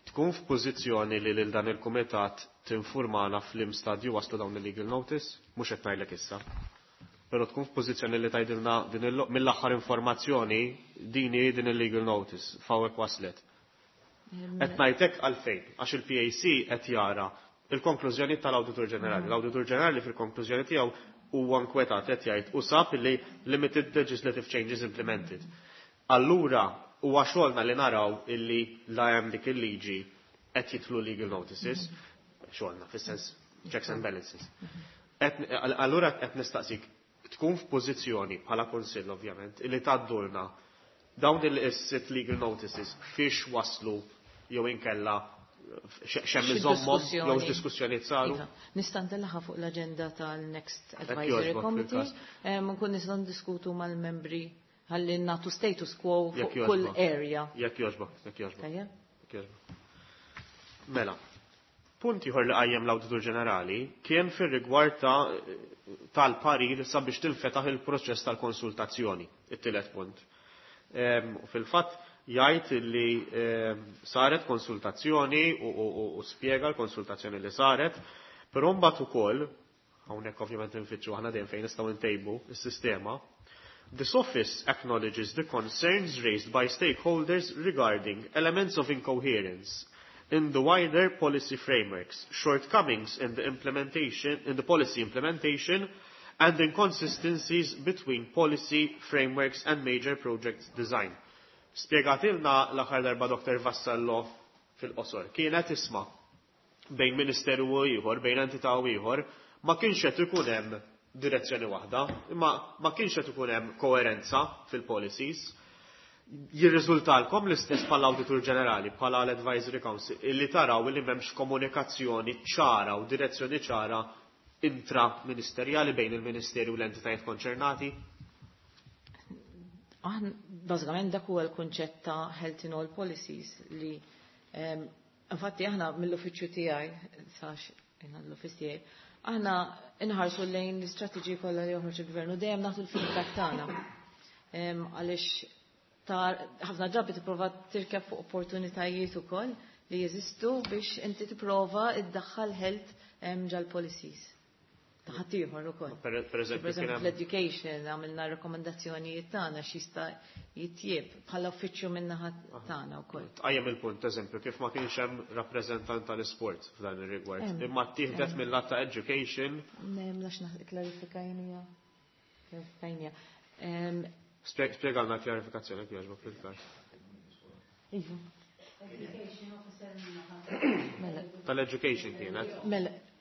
Tkun f'pożizzjoni li lil dan il-kumitat tinformana f'lim stadju waslu dawn il-legal notice, mhux qed ngħidlek issa. Però tkun f'pożizzjoni li tgħidilna mill-aħħar informazzjoni din hi din il-legal notice f'hawnhekk waslet. Qed ngħidlek għalfejn, għax il-PAC qed jara il-konklużjoni tal-Awditur Ġenerali. L-Awditur Ġenerali fil-konklużjoni tiegħu huwa nkwetat qed jgħid u sab li limited legislative changes implemented. Allura huwa xogħolna li naraw illi la hemm dik il-liġi qed jidħlu legal notices, xogħolna fis-sens checks and balances. Allura qed nistaqsik tkun f'pożizzjoni bħala Kunsill ovvjament illi tgħaddulna dawn il-sitt legal notices fiex waslu jew inkella x'hemm Xi iżommhom diskussjoni? jew x'diskussjonijiet saru. Iva, nista' ntellaħha fuq l-aġenda tal-Next Hekk Advisory jogħġbok Committee. fil-każ. Nkun nistgħu ndiskutu mal-membri ħalli nagħtu status quo fuq Jekk kull jogħġbok. area. Jekk jogħġbok, jekk jogħġbok. Tajjeb? Jekk jogħġbok. Mela, punt ieħor li qajjem l-Awditur Ġenerali kien fir-rigward tal-parir sabiex tinfetaħ il-proċess tal-konsultazzjoni, it-tielet punt. U fil-fatt jgħid li saret konsultazzjoni u spjega l-konsultazzjoni li saret, però mbagħad ukoll, hawnhekk ovvjament infittxu aħna dejjem fejn nistgħu ntejbu s-sistema, This office acknowledges the concerns raised by stakeholders regarding elements of incoherence in the wider policy frameworks, shortcomings in the implementation, in the policy implementation, and inconsistencies between policy frameworks and major project design. Spjegatilna l-aħħar darba Dr. Vassallo fil-qosor. Kienet isma' bejn ministeru u ieħor, bejn entità u ieħor, ma kienx qed ikun hemm direzzjoni waħda, imma ma kienx qed ikun hemm koerenza fil-policies. Jirriżultalkom l-istess bħala-Awditur Ġenerali, bħala l-Advisory Council, illi taraw illi m'hemmx komunikazzjoni ċara u direzzjoni ċara intra-ministerjali bejn il-Ministeri u l-entitajiet konċernati? Aħna bażikament dak huwa l-kunċett ta' Health in All Policies li infatti aħna mill-uffiċċju tiegħi, sax l-uffiċċju tiegħi, aħna inħarsu lejn l-istrateġiji kollha li joħroġ il-gvern u dejjem nagħtu l-feedback tagħna. Għaliex ħafna drabi tipprova tirkeb fuq opportunitajiet ukoll li jeżistu biex inti tipprova iddaħħal health ġal-policies. Ta' ħaddieħor ukoll. Per eżempju, fl-education għamilna rekomendazzjonijiet tagħna x'jista' jitjieb bħala uffiċċju min-naħa tagħna wkoll. Tqajjem il-punt eżempju kif ma kienx hemm rappreżentant tal-isport f'dan ir-rigward. Imma ttieħdet mill-lat ta' education. M'hemmx klarifikajnija. Klarifikajnija. Spjegalna kjarifikazzjoni jogħġbok fil-każ. Iva. Tal-education kienet.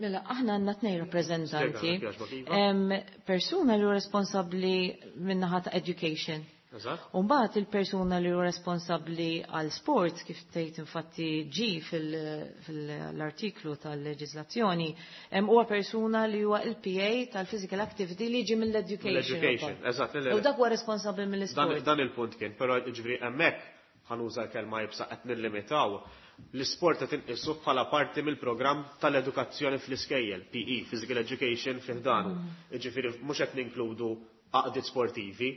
Mela, aħna għandna tnejn rappreżentanti. Persuna li hu responsabbli min-naħa ta' education. U mbagħad il-persuna li hu responsabbli għal sport kif tgħid infatti ġi fil-artiklu tal-leġiżlazzjoni, huwa persuna li huwa il-PA tal-physical activity li ġi mill-education. L-education, eżatt. U dak huwa responsabbli mill-isport. Dan il-punt kien, però ġifieri hemmhekk ħa nuża l-kelma iebsa qed nillimitaw l-isport qed inqisu bħala parti mill-programm tal-edukazzjoni fl-iskejjel, PE, Physical Education fi ħdanu. Jiġifieri mhux qed ninkludu għaqdiet sportivi.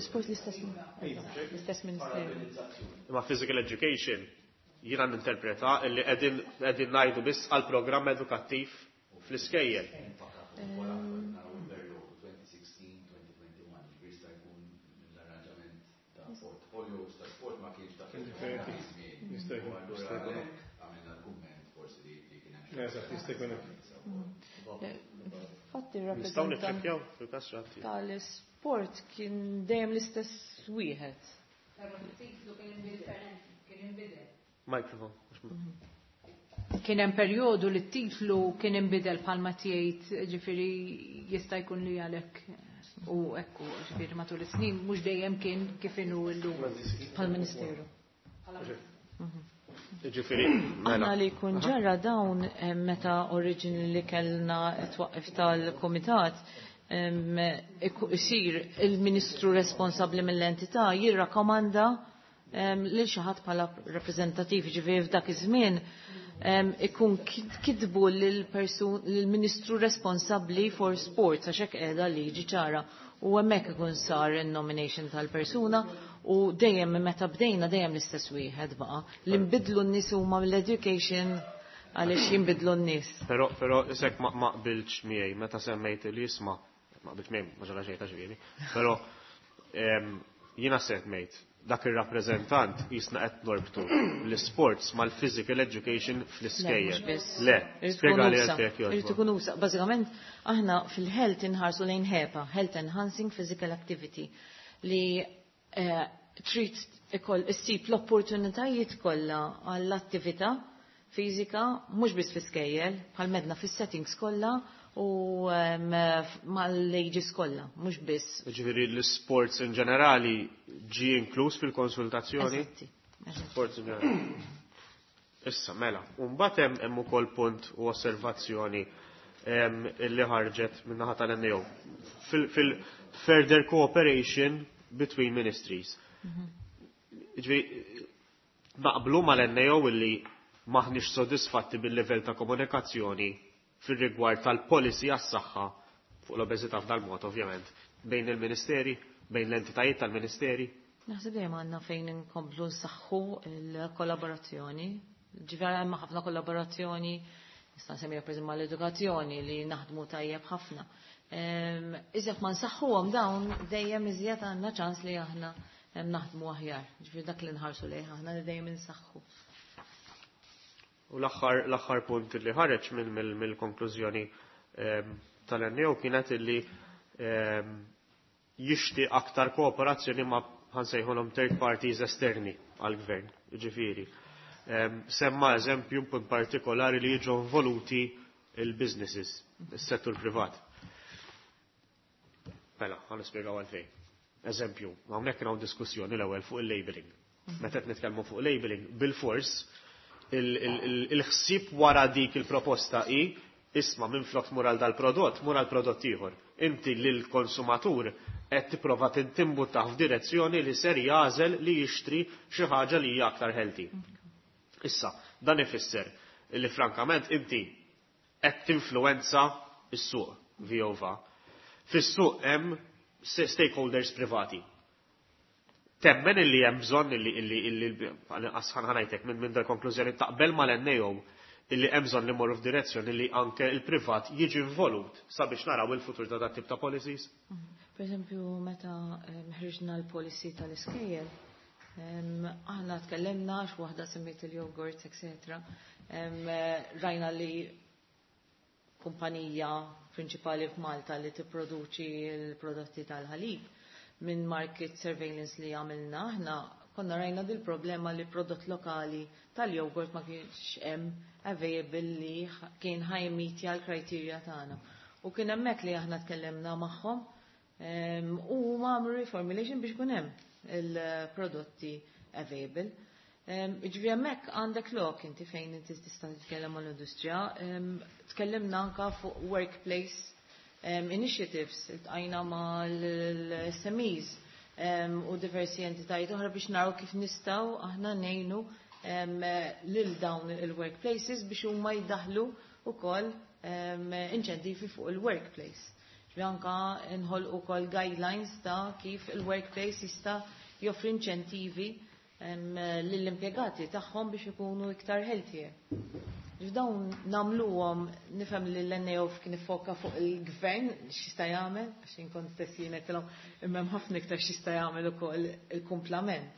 Sport l-istess ministeru. Ma physical education jiena ninterpreta illi qegħdin ngħidu biss għal programm edukattiv fl-iskejjel. Fatti Nistgħu niċċekkjaw fil-każ xi tal-sport kien dejjem l-istess wieħed. Microphone. Kien hemm perjodu li t-titlu kien inbidel bħalma tgħid, ġifieri jista' jkun li għalhekk u ekku, ġifieri matul is-snin mhux dejjem kien kif inhu llum. Bħal-Ministeru. Ġifieri, Aħna li jkun ġara dawn meta originally kellna twaqqif tal-komitat, isir il-ministru responsabbli mill-entità jirrakkomanda lil xi ħadd bħala rappreżentativ, ġifieri f'dak iż-żmien ikun kitbu lill-ministru responsabbli for sports għax hekk qiegħda liġi ċara u hemmhekk ikun sar in-nomination tal-persuna u dejjem meta bdejna dejjem l-istess wieħed baqa' li nbidlu n-nies huma mill-education għaliex jinbidlu n-nies. Però isek ma qbiltx miegħi meta semmejt li jisma' ma qbiltx miegħi ma ġara xejn ta' ġifieri. Però jiena semmejt dak ir-rappreżentant jisna qed norbtu l-sports mal-physical education fl-iskejjel. Le, spjega li għalfejn jogħġbok. Irid ikun usa. Bażikament aħna fil-health inħarsu lejn HEPA, Health Enhancing Physical Activity, li trid ikoll issib l-opportunitajiet kollha għall-attività fiżika mhux biss fl-iskejjel, bħal medna fis-settings kollha u mal-ages kollha, mhux biss. Ġifieri l-sports in ġenerali ġie inkluż fil-konsultazzjoni? Eżatti. Sports in ġenerali. Issa, mela, u mbagħad hemm ukoll punt u osservazzjoni illi ħarġet min-naħa tal-NAO fil-further cooperation between ministries. Ġifieri naqblu mal-NAO illi maħniex sodisfatti bil-livell ta' komunikazzjoni fil-rigward tal-policy għas-saħħa fuq l-obeżità f'dal-mod ovvjament bejn il-ministeri, bejn l-entitajiet tal-ministeri. Naħseb dejjem għandna fejn inkomplu nsaħħu l-kollaborazzjoni. Ġifieri hemm ħafna kollaborazzjoni, nista' nsemmi pereżempju mal-edukazzjoni li naħdmu tajjeb ħafna. Iżjed ma nsaħħuhom dawn dejjem iżjed għandna ċans li aħna naħdmu aħjar. Ġifieri dak li nħarsu lejh aħna li dejjem insaħħu. U l-aħħar punt li ħareġ mill-konklużjoni tal-NAO kienet illi jixtieq aktar kooperazzjoni ma' ħansejħulhom third parties esterni għall-gvern, ġifieri. Semma eżempju punt partikolari li jiġu involuti il-businesses, is-settur privat. Mela, ħa nispjegaw għalfejn. Eżempju, hawnhekk hawn diskussjoni l-ewwel fuq il-labeling. Meta qed nitkellmu fuq labeling, bil-fors il-ħsieb wara dik il-proposta hi Isma' minflok tmur għal dal-prodott, mur għal prodott ieħor. Inti lill-konsumatur qed tipprova timbuttah f'direzzjoni li ser jagħżel li jixtri xi ħaġa li hija aktar healthy. Issa, dan ifisser li frankament inti qed tinfluwenza s-suq vjova. Fis-suq hemm stakeholders privati. Temmen illi hemm bżonn illi ħa ngħidlek minn dal-konklużjoni, taqbel mal-NAO illi hemm bżonn li mmorru f'direzzjoni li anke il-privat jiġi involut sabiex naraw il-futur ta' dat tip ta' policies? Per eżempju, meta ħriġna l-policy tal-iskejjel, aħna tkellimna għax waħda semmiet il-yogurt, etc. Rajna li kumpanija prinċipali f'Malta li tipproduċi l-prodotti tal-ħalib, minn market surveillance li għamilna aħna konna rajna dil-problema li prodott lokali tal-jogurt ma kienx hemm available li kien ħa jimmeetja l-criteria tagħna. U kien hemmhekk li aħna tkellimna magħhom u għamlu reformulation biex ikun hemm il-prodotti available. Ġifieri hemmhekk għandek lok inti fejn inti tista' titkellem mal-industrija. Tkellimna anka fuq workplace initiatives, iltqajna mal-SMEs u diversi entitajiet oħra biex naraw kif nistgħu aħna ngħinu lil dawn il-workplaces biex huma jdaħlu ukoll inċentivi fuq il-workplace. Ġifieri anka nħolqu ukoll guidelines ta' kif il-workplace jista' joffri inċentivi lill-impjegati tagħhom biex ikunu iktar healthier. Dawn nagħmluhom, nifhem li l-NAO kien ifoka fuq il-gvern x'jista' jagħmel, għax inkont stess jien għedtilhom imma hemm ħafna iktar x'jista' jagħmel ukoll il-kumplament.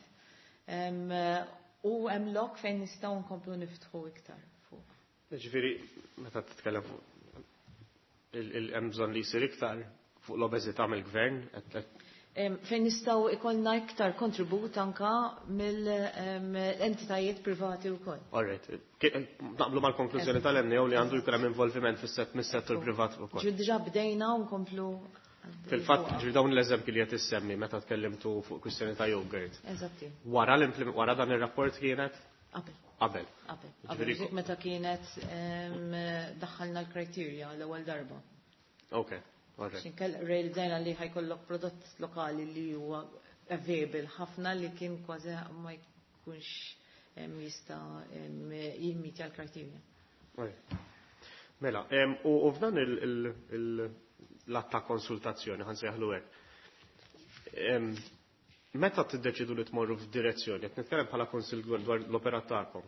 U hemm lok fejn nistgħu nkomplu niftħu iktar fuq. Ġifieri, meta titkellem fuq hemm bżonn li jsir iktar fuq l-obeżità mill-gvern, Fejn nistgħu ikollna iktar kontribut anka mill-entitajiet privati wkoll. All right. Naqblu mal-konklużjoni tal-NAO li għandu jkun hemm involviment fis-settur privat ukoll. Ġifieri diġà bdejna u nkomplu. Fil-fatt, ġifieri dawn l-eżempji li qed issemmi meta tkellimtu fuq kwistjoni ta' yogurt. Eżatti. Wara dan ir-rapport kienet? Qabel. Qabel. Qabel. Qabel, meta kienet daħħalna l-criteria l-ewwel darba. Ok, all right. X'inkell realizzajna li ħa jkollok prodott lokali li huwa available ħafna li kien kważi ma jkunx jista' jimmeetja l-criteria. Mela, u f'dan l-att ta' konsultazzjoni, ħa nsejħlu hekk. Meta tiddeċidu li tmorru f'direzzjoni, qed nitkellem bħala kunsill dwar l-operat tagħkom.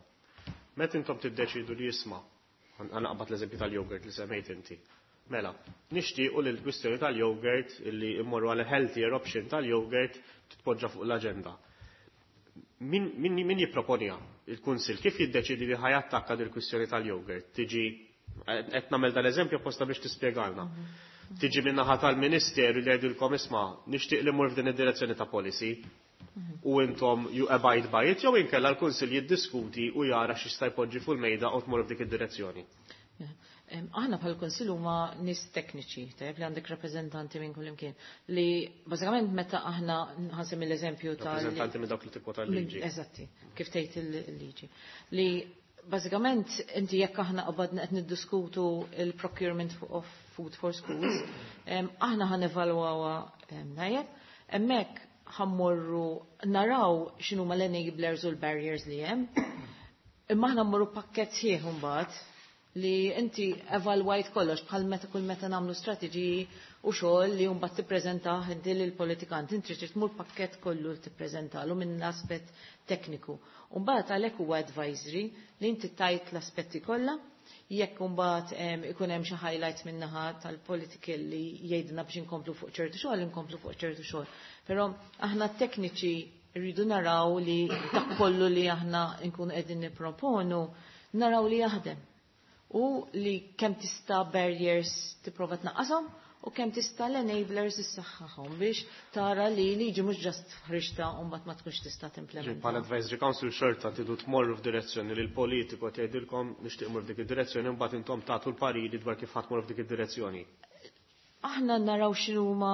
Meta intom tiddeċidu li jisma', ħa naqbad l-eżempju tal-yogurt li semmejt inti. Mela, nixtiequ li l-kwistjoni tal-yogurt li immorru għal healthier option tal-yogurt titpoġġa fuq l-aġenda. Min jipproponija il-kunsill? Kif jiddeċidi li ħa jattakka dil-kwistjoni tal-yogurt? Tiġi, qed nagħmel dal-eżempju apposta biex tispjegalna. Tiġi min-naħa tal-Ministeru li jgħidulkom, "Isma', nixtieq li mmur f'din id-direzzjoni ta' policy," u intom you abide by it, jew inkella l-kunsill jiddiskuti u jara x'jista' jpoġġi fuq il-mejda u tmur f'dik id-direzzjoni? Aħna bħal kunsill huma nies tekniċi, tajjeb, li għandek rappreżentanti minn kull imkien. Li bażikament meta aħna ħasem l-eżempju tal Rappreżentanti minn dawk li tikkwota l-liġi. Eżatti, kif tgħid il-liġi. Li bażikament inti jekk aħna qabadna qed niddiskutu il-procurement of food for schools, aħna ħa nevalwawha najjeb, hemmhekk ħa mmorru naraw x'inhuma l-enablers u l-barriers li hemm. Imma aħna mmorru pakkett sħiħ imbagħad li inti evalwajt kollox, bħal meta kull meta nagħmlu strateġiji u xogħol li mbagħad tippreżentah inti lill-politikant, inti trid tmur pakkett kollu li tippreżentalu minn aspett tekniku. U mbagħad għalhekk huwa advisory li inti tajt l-aspetti kollha, jekk imbagħad ikun hemm xi highlights min-naħa tal-politika li jgħidna biex inkomplu fuq ċertu xogħol, inkomplu fuq ċertu xogħol. Però aħna tekniċi rridu naraw li dak kollu li aħna nkunu qegħdin nipproponu naraw li jaħdem. U li kemm tista' barriers tipprova tnaqqashom u kemm tista' l-enablers issaħħaħhom biex tara li liġi mhux just ħriġta u mbagħad ma tkunx tista' timplementa. Bħala advisory council xorta tridu tmorru f'direzzjoni li l-politiku qed jgħidilkom nixtieq mmur f'dik id-direzzjoni, mbagħad intom tagħtu l-pariri dwar kif ħa tmorru f'dik id-direzzjoni. Aħna naraw x'inhuma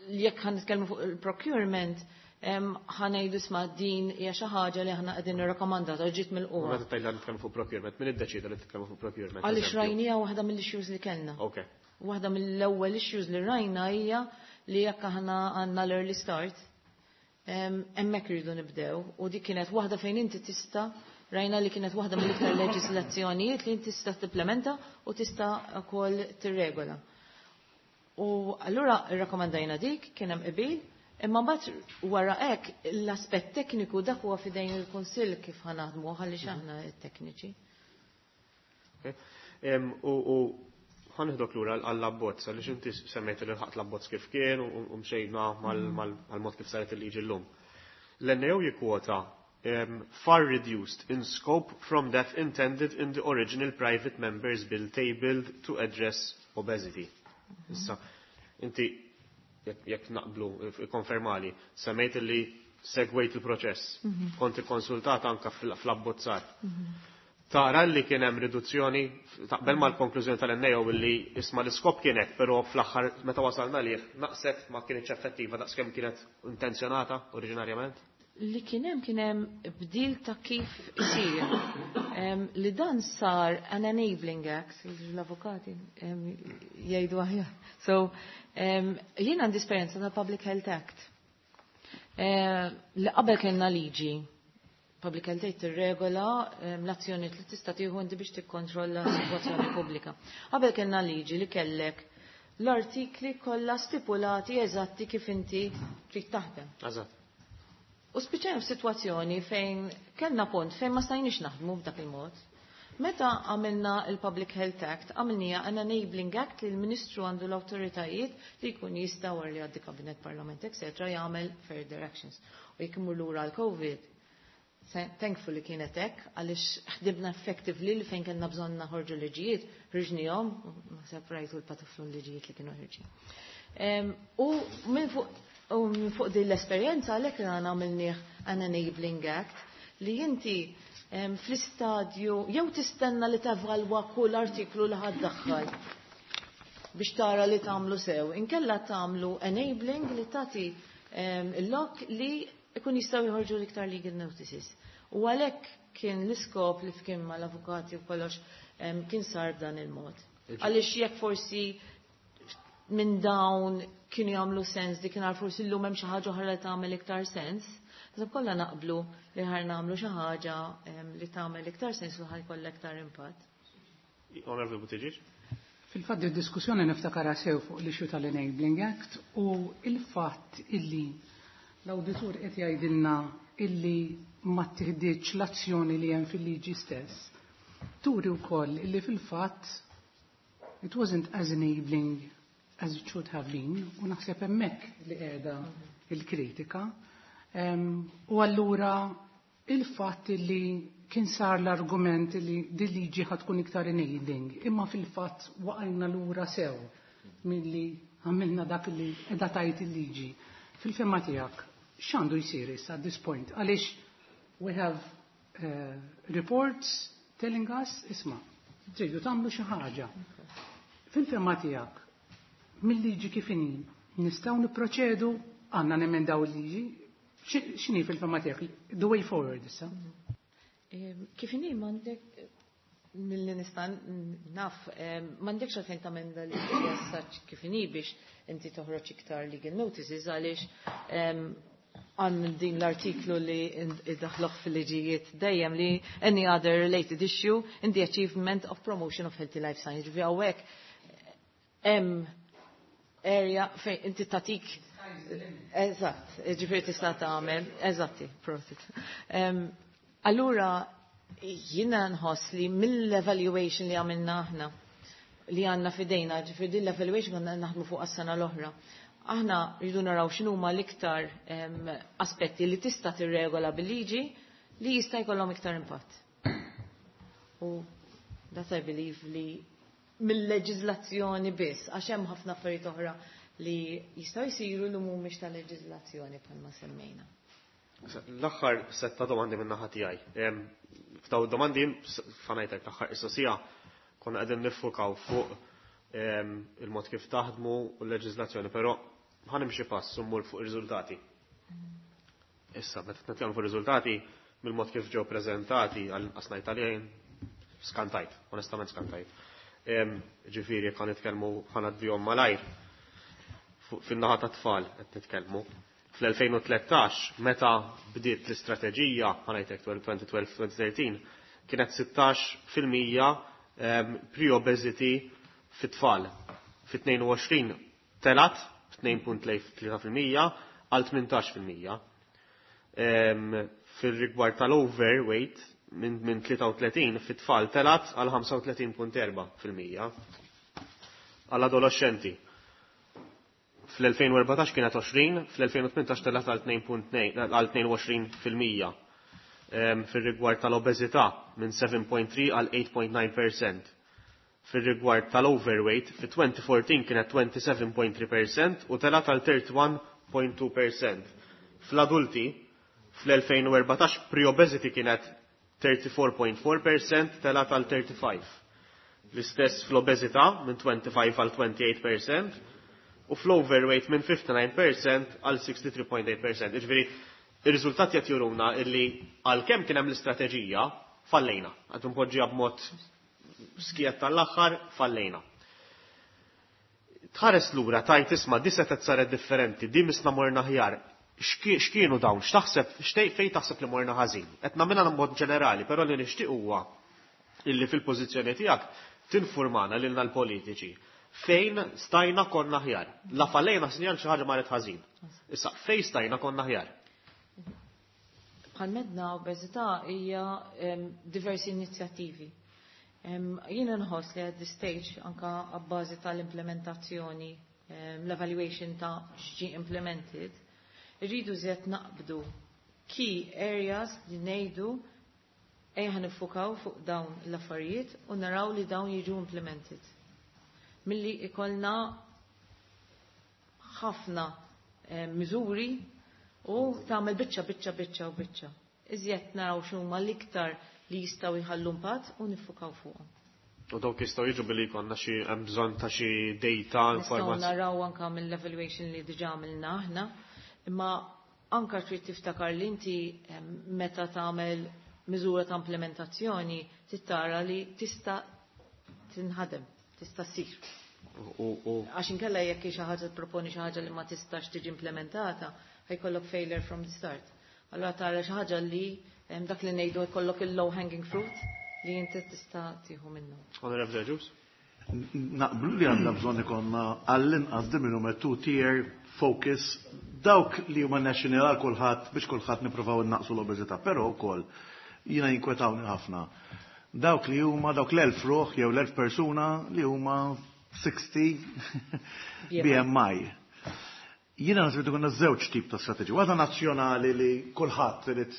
Jekk ħa nitkellmu fuq il-procurement, ħa ngħidu, isma', din hija xi ħaġa li aħna qegħdin nirrakkomandata, ġiet mill-qwa. Meta tgħid nitkellmu fuq procurement, min iddeċida li titkellmu fuq procurement? Għaliex rajnija waħda mill-issues li kellna. Waħda mill-ewwel issues li rajna hija li jekk aħna għandna l-early start, hemmhekk rridu nibdew u dik kienet waħda fejn inti tista' rajna li kienet waħda mill-iktar leġislazzjonijiet li inti tista' tipplementa u tista' wkoll tirregola. U allura rrakkomandajna dik, kien hemm qbil, imma mbagħad wara hekk l-aspett tekniku dak huwa f'idejn il-Kunsill kif ħa naħdmu, għaliex aħna tekniċi. U ħa neħdok lura għall-abbozz, għaliex inti semmejt li ħadt l-abbozz kif kien u mxejna mal-mod kif saret il-liġi llum. L-NAO jikkwota "far reduced in scope from that intended in the original private members bill tabled to address obesity." Issa, inti jekk naqblu, konfermali, semmejt li segwejt il-proċess, kont ikkonsultat anka fl-abbozzar. Tara li kien hemm riduzzjoni, taqbel mal-konklużjoni tal-NAO li, isma', l-iskop kien hekk, però fl-aħħar meta wasalna lih naqset, ma kienx effettiva daqskemm kienet intenzjonata oriġinarjament? Li kien hemm bdil ta' kif isir. Li dan sar an enabling act, l-avukati jgħidu aħjar. So, jien għandi esperjenza ta' Public Health Act. Li qabel kellna liġi Public Health Act tirregola l-azzjoni li tista' tieħu inti biex tikkontrolla s-sitwazzjoni pubblika. Qabel kellna liġi li kellek l-artikli kollha stipulati eżatti kif inti trid taħdem. U spiċċajna f'sitwazzjoni fejn kellna punt fejn ma stajniex naħdmu b'dak il-mod. Meta għamilna il-Public Health Act, għamilnija an enabling act li l-Ministru għandu l-autoritajiet li jkun jista' wara li għaddi Kabinet, Parlament, etc. jagħmel further actions. U jekk imur lura l-COVID, thankfully kienet hekk għaliex ħdibna effectively li fejn kellna bżonn naħorġu liġijiet, ħriġnihom, naħseb rajtu l-pataflun liġijiet li kienu ħirġin. U minn fuq din l-esperjenza għalhekk għana għamilnieh an enabling act li inti fl-istadju jew tistenna li tevalwa kull artiklu li ħa ddaħħal biex tara li tagħmlu sew. Inkella tagħmlu enabling li tagħti il-lok li ikun jistgħu jħorġu l-iktar legal notices. U għalhekk kien l-iskop li fkien mal-avukati u kollox kien sar b'dan il-mod. Għaliex jekk forsi minn dawn kienu jagħmlu sens dik kien forsi llum hemm xi ħaġa oħra li tagħmel iktar sens. Iżda kollha naqblu li ħa nagħmlu xi ħaġa li tagħmel iktar sens u ħa jkollha iktar impatt. Honorable Buttigieg? Fil-fatt id-diskussjoni niftakara sew fuq l-issue tal-Enabling Act u il-fatt illi l-awditur qed jgħidilna illi ma tieħdiċ l-azzjoni li hemm fil-liġi stess. Turi wkoll illi fil-fatt it wasn't as enabling as it should have been u naħseb hemmhekk li qiegħda il-kritika. U allura il-fatt li kien sar l-argument li din liġi ħa tkun iktar enabling, imma fil-fatt waqajna lura sew milli għamilna dak li qiegħda tgħid il-liġi. Fil-fehma tiegħek, x'għandu jsir issa at this point? Għaliex we have reports telling us, isma', tridu tagħmlu xi ħaġa. Fil-fehma tiegħek, mill-liġi kif inhi, nistgħu nipproċedu, għandna nemendaw il-liġi, x'inhi fil-fehma tiegħek the way forward issa? Kif inhi m'għandek, milli nista' naf, m'għandekx għalfejn tamenda li jassaċ kif inhi biex inti toħroġ iktar legal notices, għaliex għan din l-artiklu li iddaħluh fil-liġijiet dejjem li "any other related issue in the achievement of promotion of healthy lifestyle". Ġifieri hawnhekk hemm area fejn inti tatik. Eżatt, ġifieri tista' tagħmel, eżatti, prosit. Allura jiena nħoss li mill-evaluation li għamilna aħna li għandna f'idejna, ġifieri din l-evaluation għandna naħdmu fuq għas-sena l-oħra. Aħna rridu naraw x'inhuma l-iktar aspetti li tista' tirregola bil-liġi li jista' jkollhom iktar impatt. U that I believe li mill-leġiżlazzjoni biss, għax hemm ħafna affarijiet oħra li jistgħu jsiru li mhumiex ta' leġiżlazzjoni bħalma semmejna. L-aħħar setta domandi minn naħa tiegħi. F'daw domandi fanajtek l-aħħar mistoqsija konna qegħdin niffukaw fuq il-mod kif taħdmu u l-leġiżlazzjoni, però Ħa nimxi pass u mmur fuq ir-riżultati. Issa, meta nitkellmu fuq ir-riżultati, mill-mod kif ġew preżentati għal ngħid għalihom, skantajt, onestament skantajt. Ġifieri jekk nitkellmu, ħa ngħaddihom malajr, fin-naħa ta' tfal qed nitkellmu. Fl-2013, meta bdiet l-istrateġija, ħa ngħidlek 2012-2013, kienet 16% pre-obesity fit-tfal. Fit-22 telgħet 2.3% għal 18%. Fil-rigward tal-overweight minn 33 fit-tfal telgħet għal 35.4%. Għall-adolescenti fl-2014 kienet 20, fl-2018 telgħet għal 22%. Fil-rigward tal-obeżità minn 7.3 għal 8.9%. Fil-rigward tal-overweight, fi-2014 kienet 27.3% u telgħet għal 31.2%. Fl-adulti, fl-2014 pre-obesity kienet 34.4%, telgħet għal 35%. L-istess fl-obeżità minn 25 għal 28% u fl-overweight minn 59% għal 63.8%. Ġifieri, ir-riżultati qed juruna illi għalkemm kien hemm l-istrateġija, fallejna. Għad npoġġiha b'mod skiet tal-aħħar, fallejna. Tħares lura tajt isma' di setgħet saret differenti, di misna morna aħjar. X'kienu dawn? X'taħseb xtej fejn taħseb li morna ħażin? Qed nagħmilha mod ġenerali, però li nixtieq huwa illi fil-pożizzjoni tiegħek tinfurmana lilna l-politiċi fejn stajna konna aħjar. La fallejna sinjal xi ħaġa marret ħażin. Issa fejn stajna konna aħjar. Bħal medna obeżità hija diversi inizjattivi. Jiena nħoss li at this stage anka abbażi tal-implementazzjoni, l-evaluation ta' x'ġi implemented, irridu żjed naqbdu key areas li ngħidu ejja niffukaw fuq dawn l-affarijiet u naraw li dawn jiġu implemented. Milli ikollna ħafna miżuri u tagħmel biċċa biċċa biċċa u biċċa. Iżjed naraw x'huma l-iktar li jistgħu jħallu impatt u niffukaw fuqhom. U dawk jistgħu jiġu billi jkollna xi hemm bżonn ta' xi data, Nistgħu informazzjoni. naraw anka mill-evaluation li diġà għamilna aħna, imma anka trid tiftakar li inti meta tagħmel miżura ta' implementazzjoni trid tara li tista' tinħadem, tista' ssir. U Għax inkella jekk xi ħaġa tipproponi xi ħaġa li ma tistax tiġi implementata, ħa jkollok failure from the start. Allura tara xi ħaġa li dak li ngħidu jkollok il-low hanging fruit li inti tista' tieħu minnu. Honorable Ġus? Naqblu li għandna bżonn ikollna għall-inqas de minimum two-tier focus dawk li huma national għal kulħadd biex kulħadd nippruvaw innaqsu l-obeżità, però wkoll jiena jinkwetawni ħafna. Dawk li huma dawk l-1000 ruħ jew l-1000 persuna li huma 60 BMI. Jiena naħseb li ikollna żewġ tip ta' strateġi. Waħda nazzjonali li kulħadd irid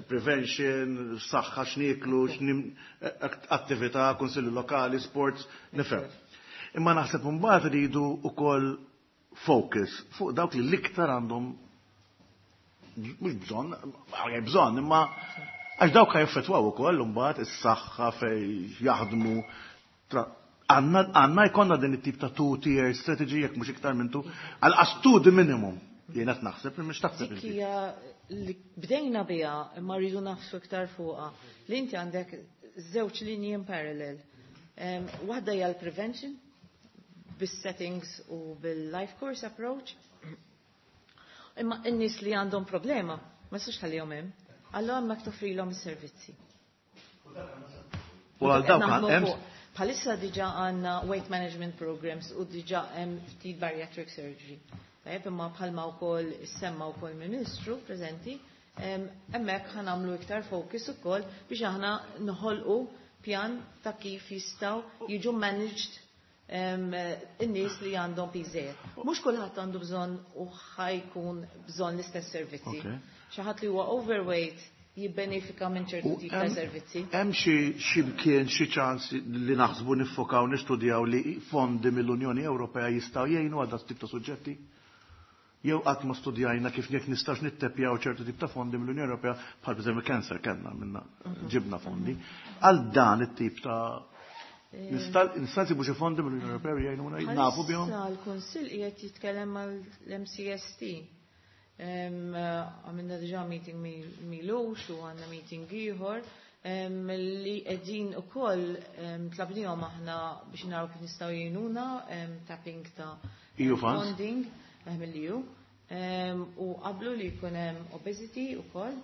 prevention, saħħa, x'nieklu, attività, kunsilli lokali, sports, nifhem. Imma naħseb imbagħad iridu wkoll focus fuq dawk li l-iktar għandhom mhux bżonn, bżonn, imma għax dawk jaffettwaw ukoll imbagħad is-saħħa fej jaħdmu. Għandna jkollna din it-tip ta' two-tier strategy jekk mhux iktar minn two, għal two the minimum. Jiena qed naħseb li mhux taħseb Dik inti. hija li bdejna biha imma rridu nafsu iktar fuqha. Li inti għandek żewġ linji in parallel. Waħda hija l-prevention bis-settings u bil-life course approach. Imma n-nies li għandhom problema ma tistax tħallihom hemm. Allora hemmhekk toffrilhom is-servizzi. U għal dawk Naħdmu hemm fuq. Bħalissa diġà għandna weight management programs u diġà hemm ftit bariatric surgery. Tajjeb, imma bħalma wkoll semma wkoll Ministru preżenti, hemmhekk ħa nagħmlu iktar focus ukoll biex aħna noħolqu pjan ta' kif jistgħu jiġu managed in-nies li għandhom piżejjed. Mhux kulħadd għandu bżonn u ħa jkun bżonn l-istess servizzi. Xi ħadd li huwa overweight jibbenefika minn ċertu U tip ta' servizzi. Hemm xi mkien xi ċans li naħsbu niffokaw nistudjaw li fondi mill-Unjoni Ewropea jistgħu jgħinu għal dat tip ta' suġġetti? Jew qatt ma studjajna kif jekk nistax nittepjaw ċertu tip ta' fondi mill-Unjoni Ewropea bħal pereżempju cancer kellna minna ġibna fondi. Għal dan it-tip ta' Nista' nsibu xi fondi mill-Unjoni Ewropea jgħinuna nafu bihom? Bħalissa l-Kunsill qiegħed jitkellem mal-MCST. Għamilna diġà meeting m'ilux u għandna meeting ieħor li qegħdin ukoll tlabnihom aħna biex naraw kif nistgħu jgħinuna tapping ta' EU funds? Funding mill-EU. U qablu li jkun hemm obesity ukoll.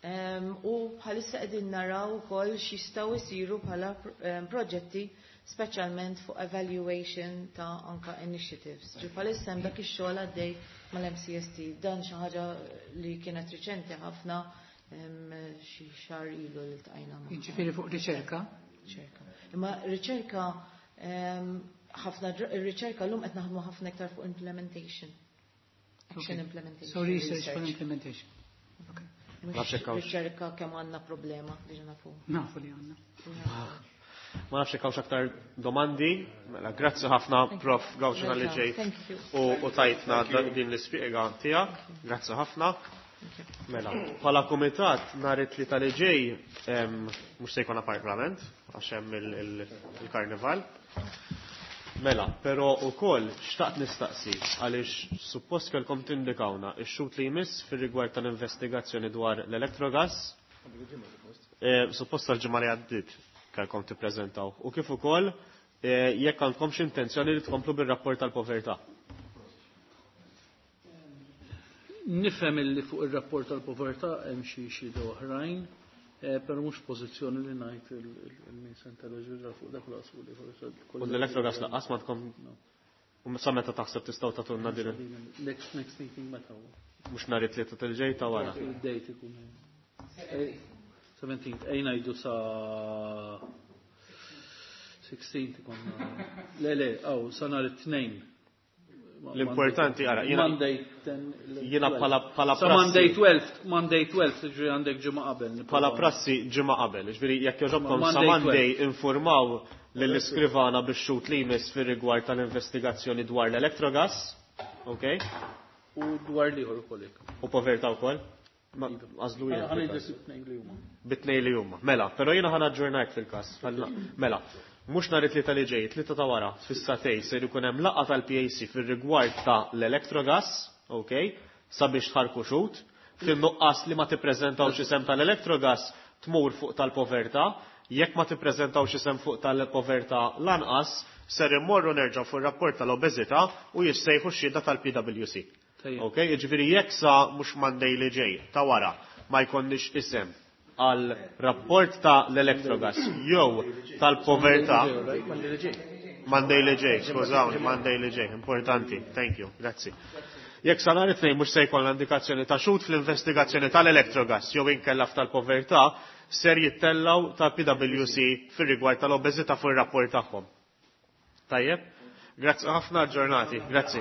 U bħalissa qegħdin naraw ukoll x'jistgħu jsiru bħala proġetti, speċjalment fuq evaluation ta' anka initiatives. Ġi bħalissa hemm dak ix-xogħol għaddej mal-MCST. Dan xi ħaġa li kienet riċenti ħafna, xi xahar ilu li ltqajna magħhom. Jiġifieri fuq riċerka? Riċerka. Imma riċerka ħafna ir-riċerka llum qed naħdmu ħafna iktar fuq implementation. Action implementation. So research for implementation. Okay. Mhux riċerka kemm għandna problema, diġà nafu. Nafu li għandna. Ma nafx jekk hawnx aktar domandi. Mela, grazzi ħafna, Prof Gauci, li ġejt u tajtna din l-ispjega tiegħek. Grazzi ħafna. Mela, bħala kumitat nhar it-Tlieta li ġej mhux se jkollna parlament għax hemm il-karnival. Mela, però ukoll xtaqt nistaqsi għaliex suppost kellkom tindikawna x-xhud li jmiss fir-rigward tal-investigazzjoni dwar l-Electrogas. Suppost tal-ġimgħa li għaddiet kellkom tippreżentaw. U kif ukoll jekk għandkomx intenzjoni li tkomplu bir-rapport tal-povertà. Nifhem illi fuq ir-rapport tal-povertà hemm xi xhieda oħrajn, però mhux pożizzjoni li ngħid il-min se ġurra fuq dak l-qasmu li forsi. U l-Electrogas lanqas ma tkom. U sa meta taħseb tistgħu tagħtulna din? Next meeting meta huwa? Mhux nhar it-Tlieta tal-ġej ta' wara. Id-date ikun. 17th, ejja ngħidu sa 16th ikun. Le, aw, sa nhar it-Tnejn. L-importanti, ara, jiena Monday 10, jiena bħala Sa prassi. Monday 12, Monday 12, ġifieri għandek ġimgħa qabel. Bħala prassi ġimgħa qabel, ġifieri jekk jogħġobkom sa Monday Monday 12. informaw lill-iskrivana bix-xhud li jmiss fir-rigward tal-investigazzjoni dwar l-Electrogas, ok? U dwar l-ieħor ukoll hekk. U povertà wkoll? Ma għażlu jien. Ħa ngħidlek it-tnejn li huma. Bit-tnejn li huma. Mela, però jiena ħa naġġornak fil-każ. Mela, mhux nhar it-Tlieta li ġej, Tlieta ta' wara, fis-sagħtejn ser ikun hemm laqgħa tal-PAC fir-rigward ta' l-Electrogas, ok? Sabiex tħarku xhud. Fin-nuqqas li ma tippreżentawx isem tal-Electrogas tmur fuq tal-povertà, jekk ma tippreżentawx isem fuq tal-povertà lanqas, ser immorru nerġgħu fuq ir-rapport tal-obeżità u jissejħu x-xhieda tal-PwC. Ok, jiġifieri jekk sa mhux Monday li ġej ta' wara ma jkollniex isem għal rapport ta' l-Electrogas jew tal-povertà. Monday li ġej, skużawni, Monday li ġej, importanti, thank you, grazzi. Jekk sa nhar it-Tnejn mhux se jkollna indikazzjoni ta' xhud fl-investigazzjoni tal-Electrogas jew inkella tal-povertà, ser jittellaw ta' PwC fir-rigward tal-obeżità fuq ir-rapport tagħhom. Tajjeb? Grazzi ħafna, ġurnati, grazzi.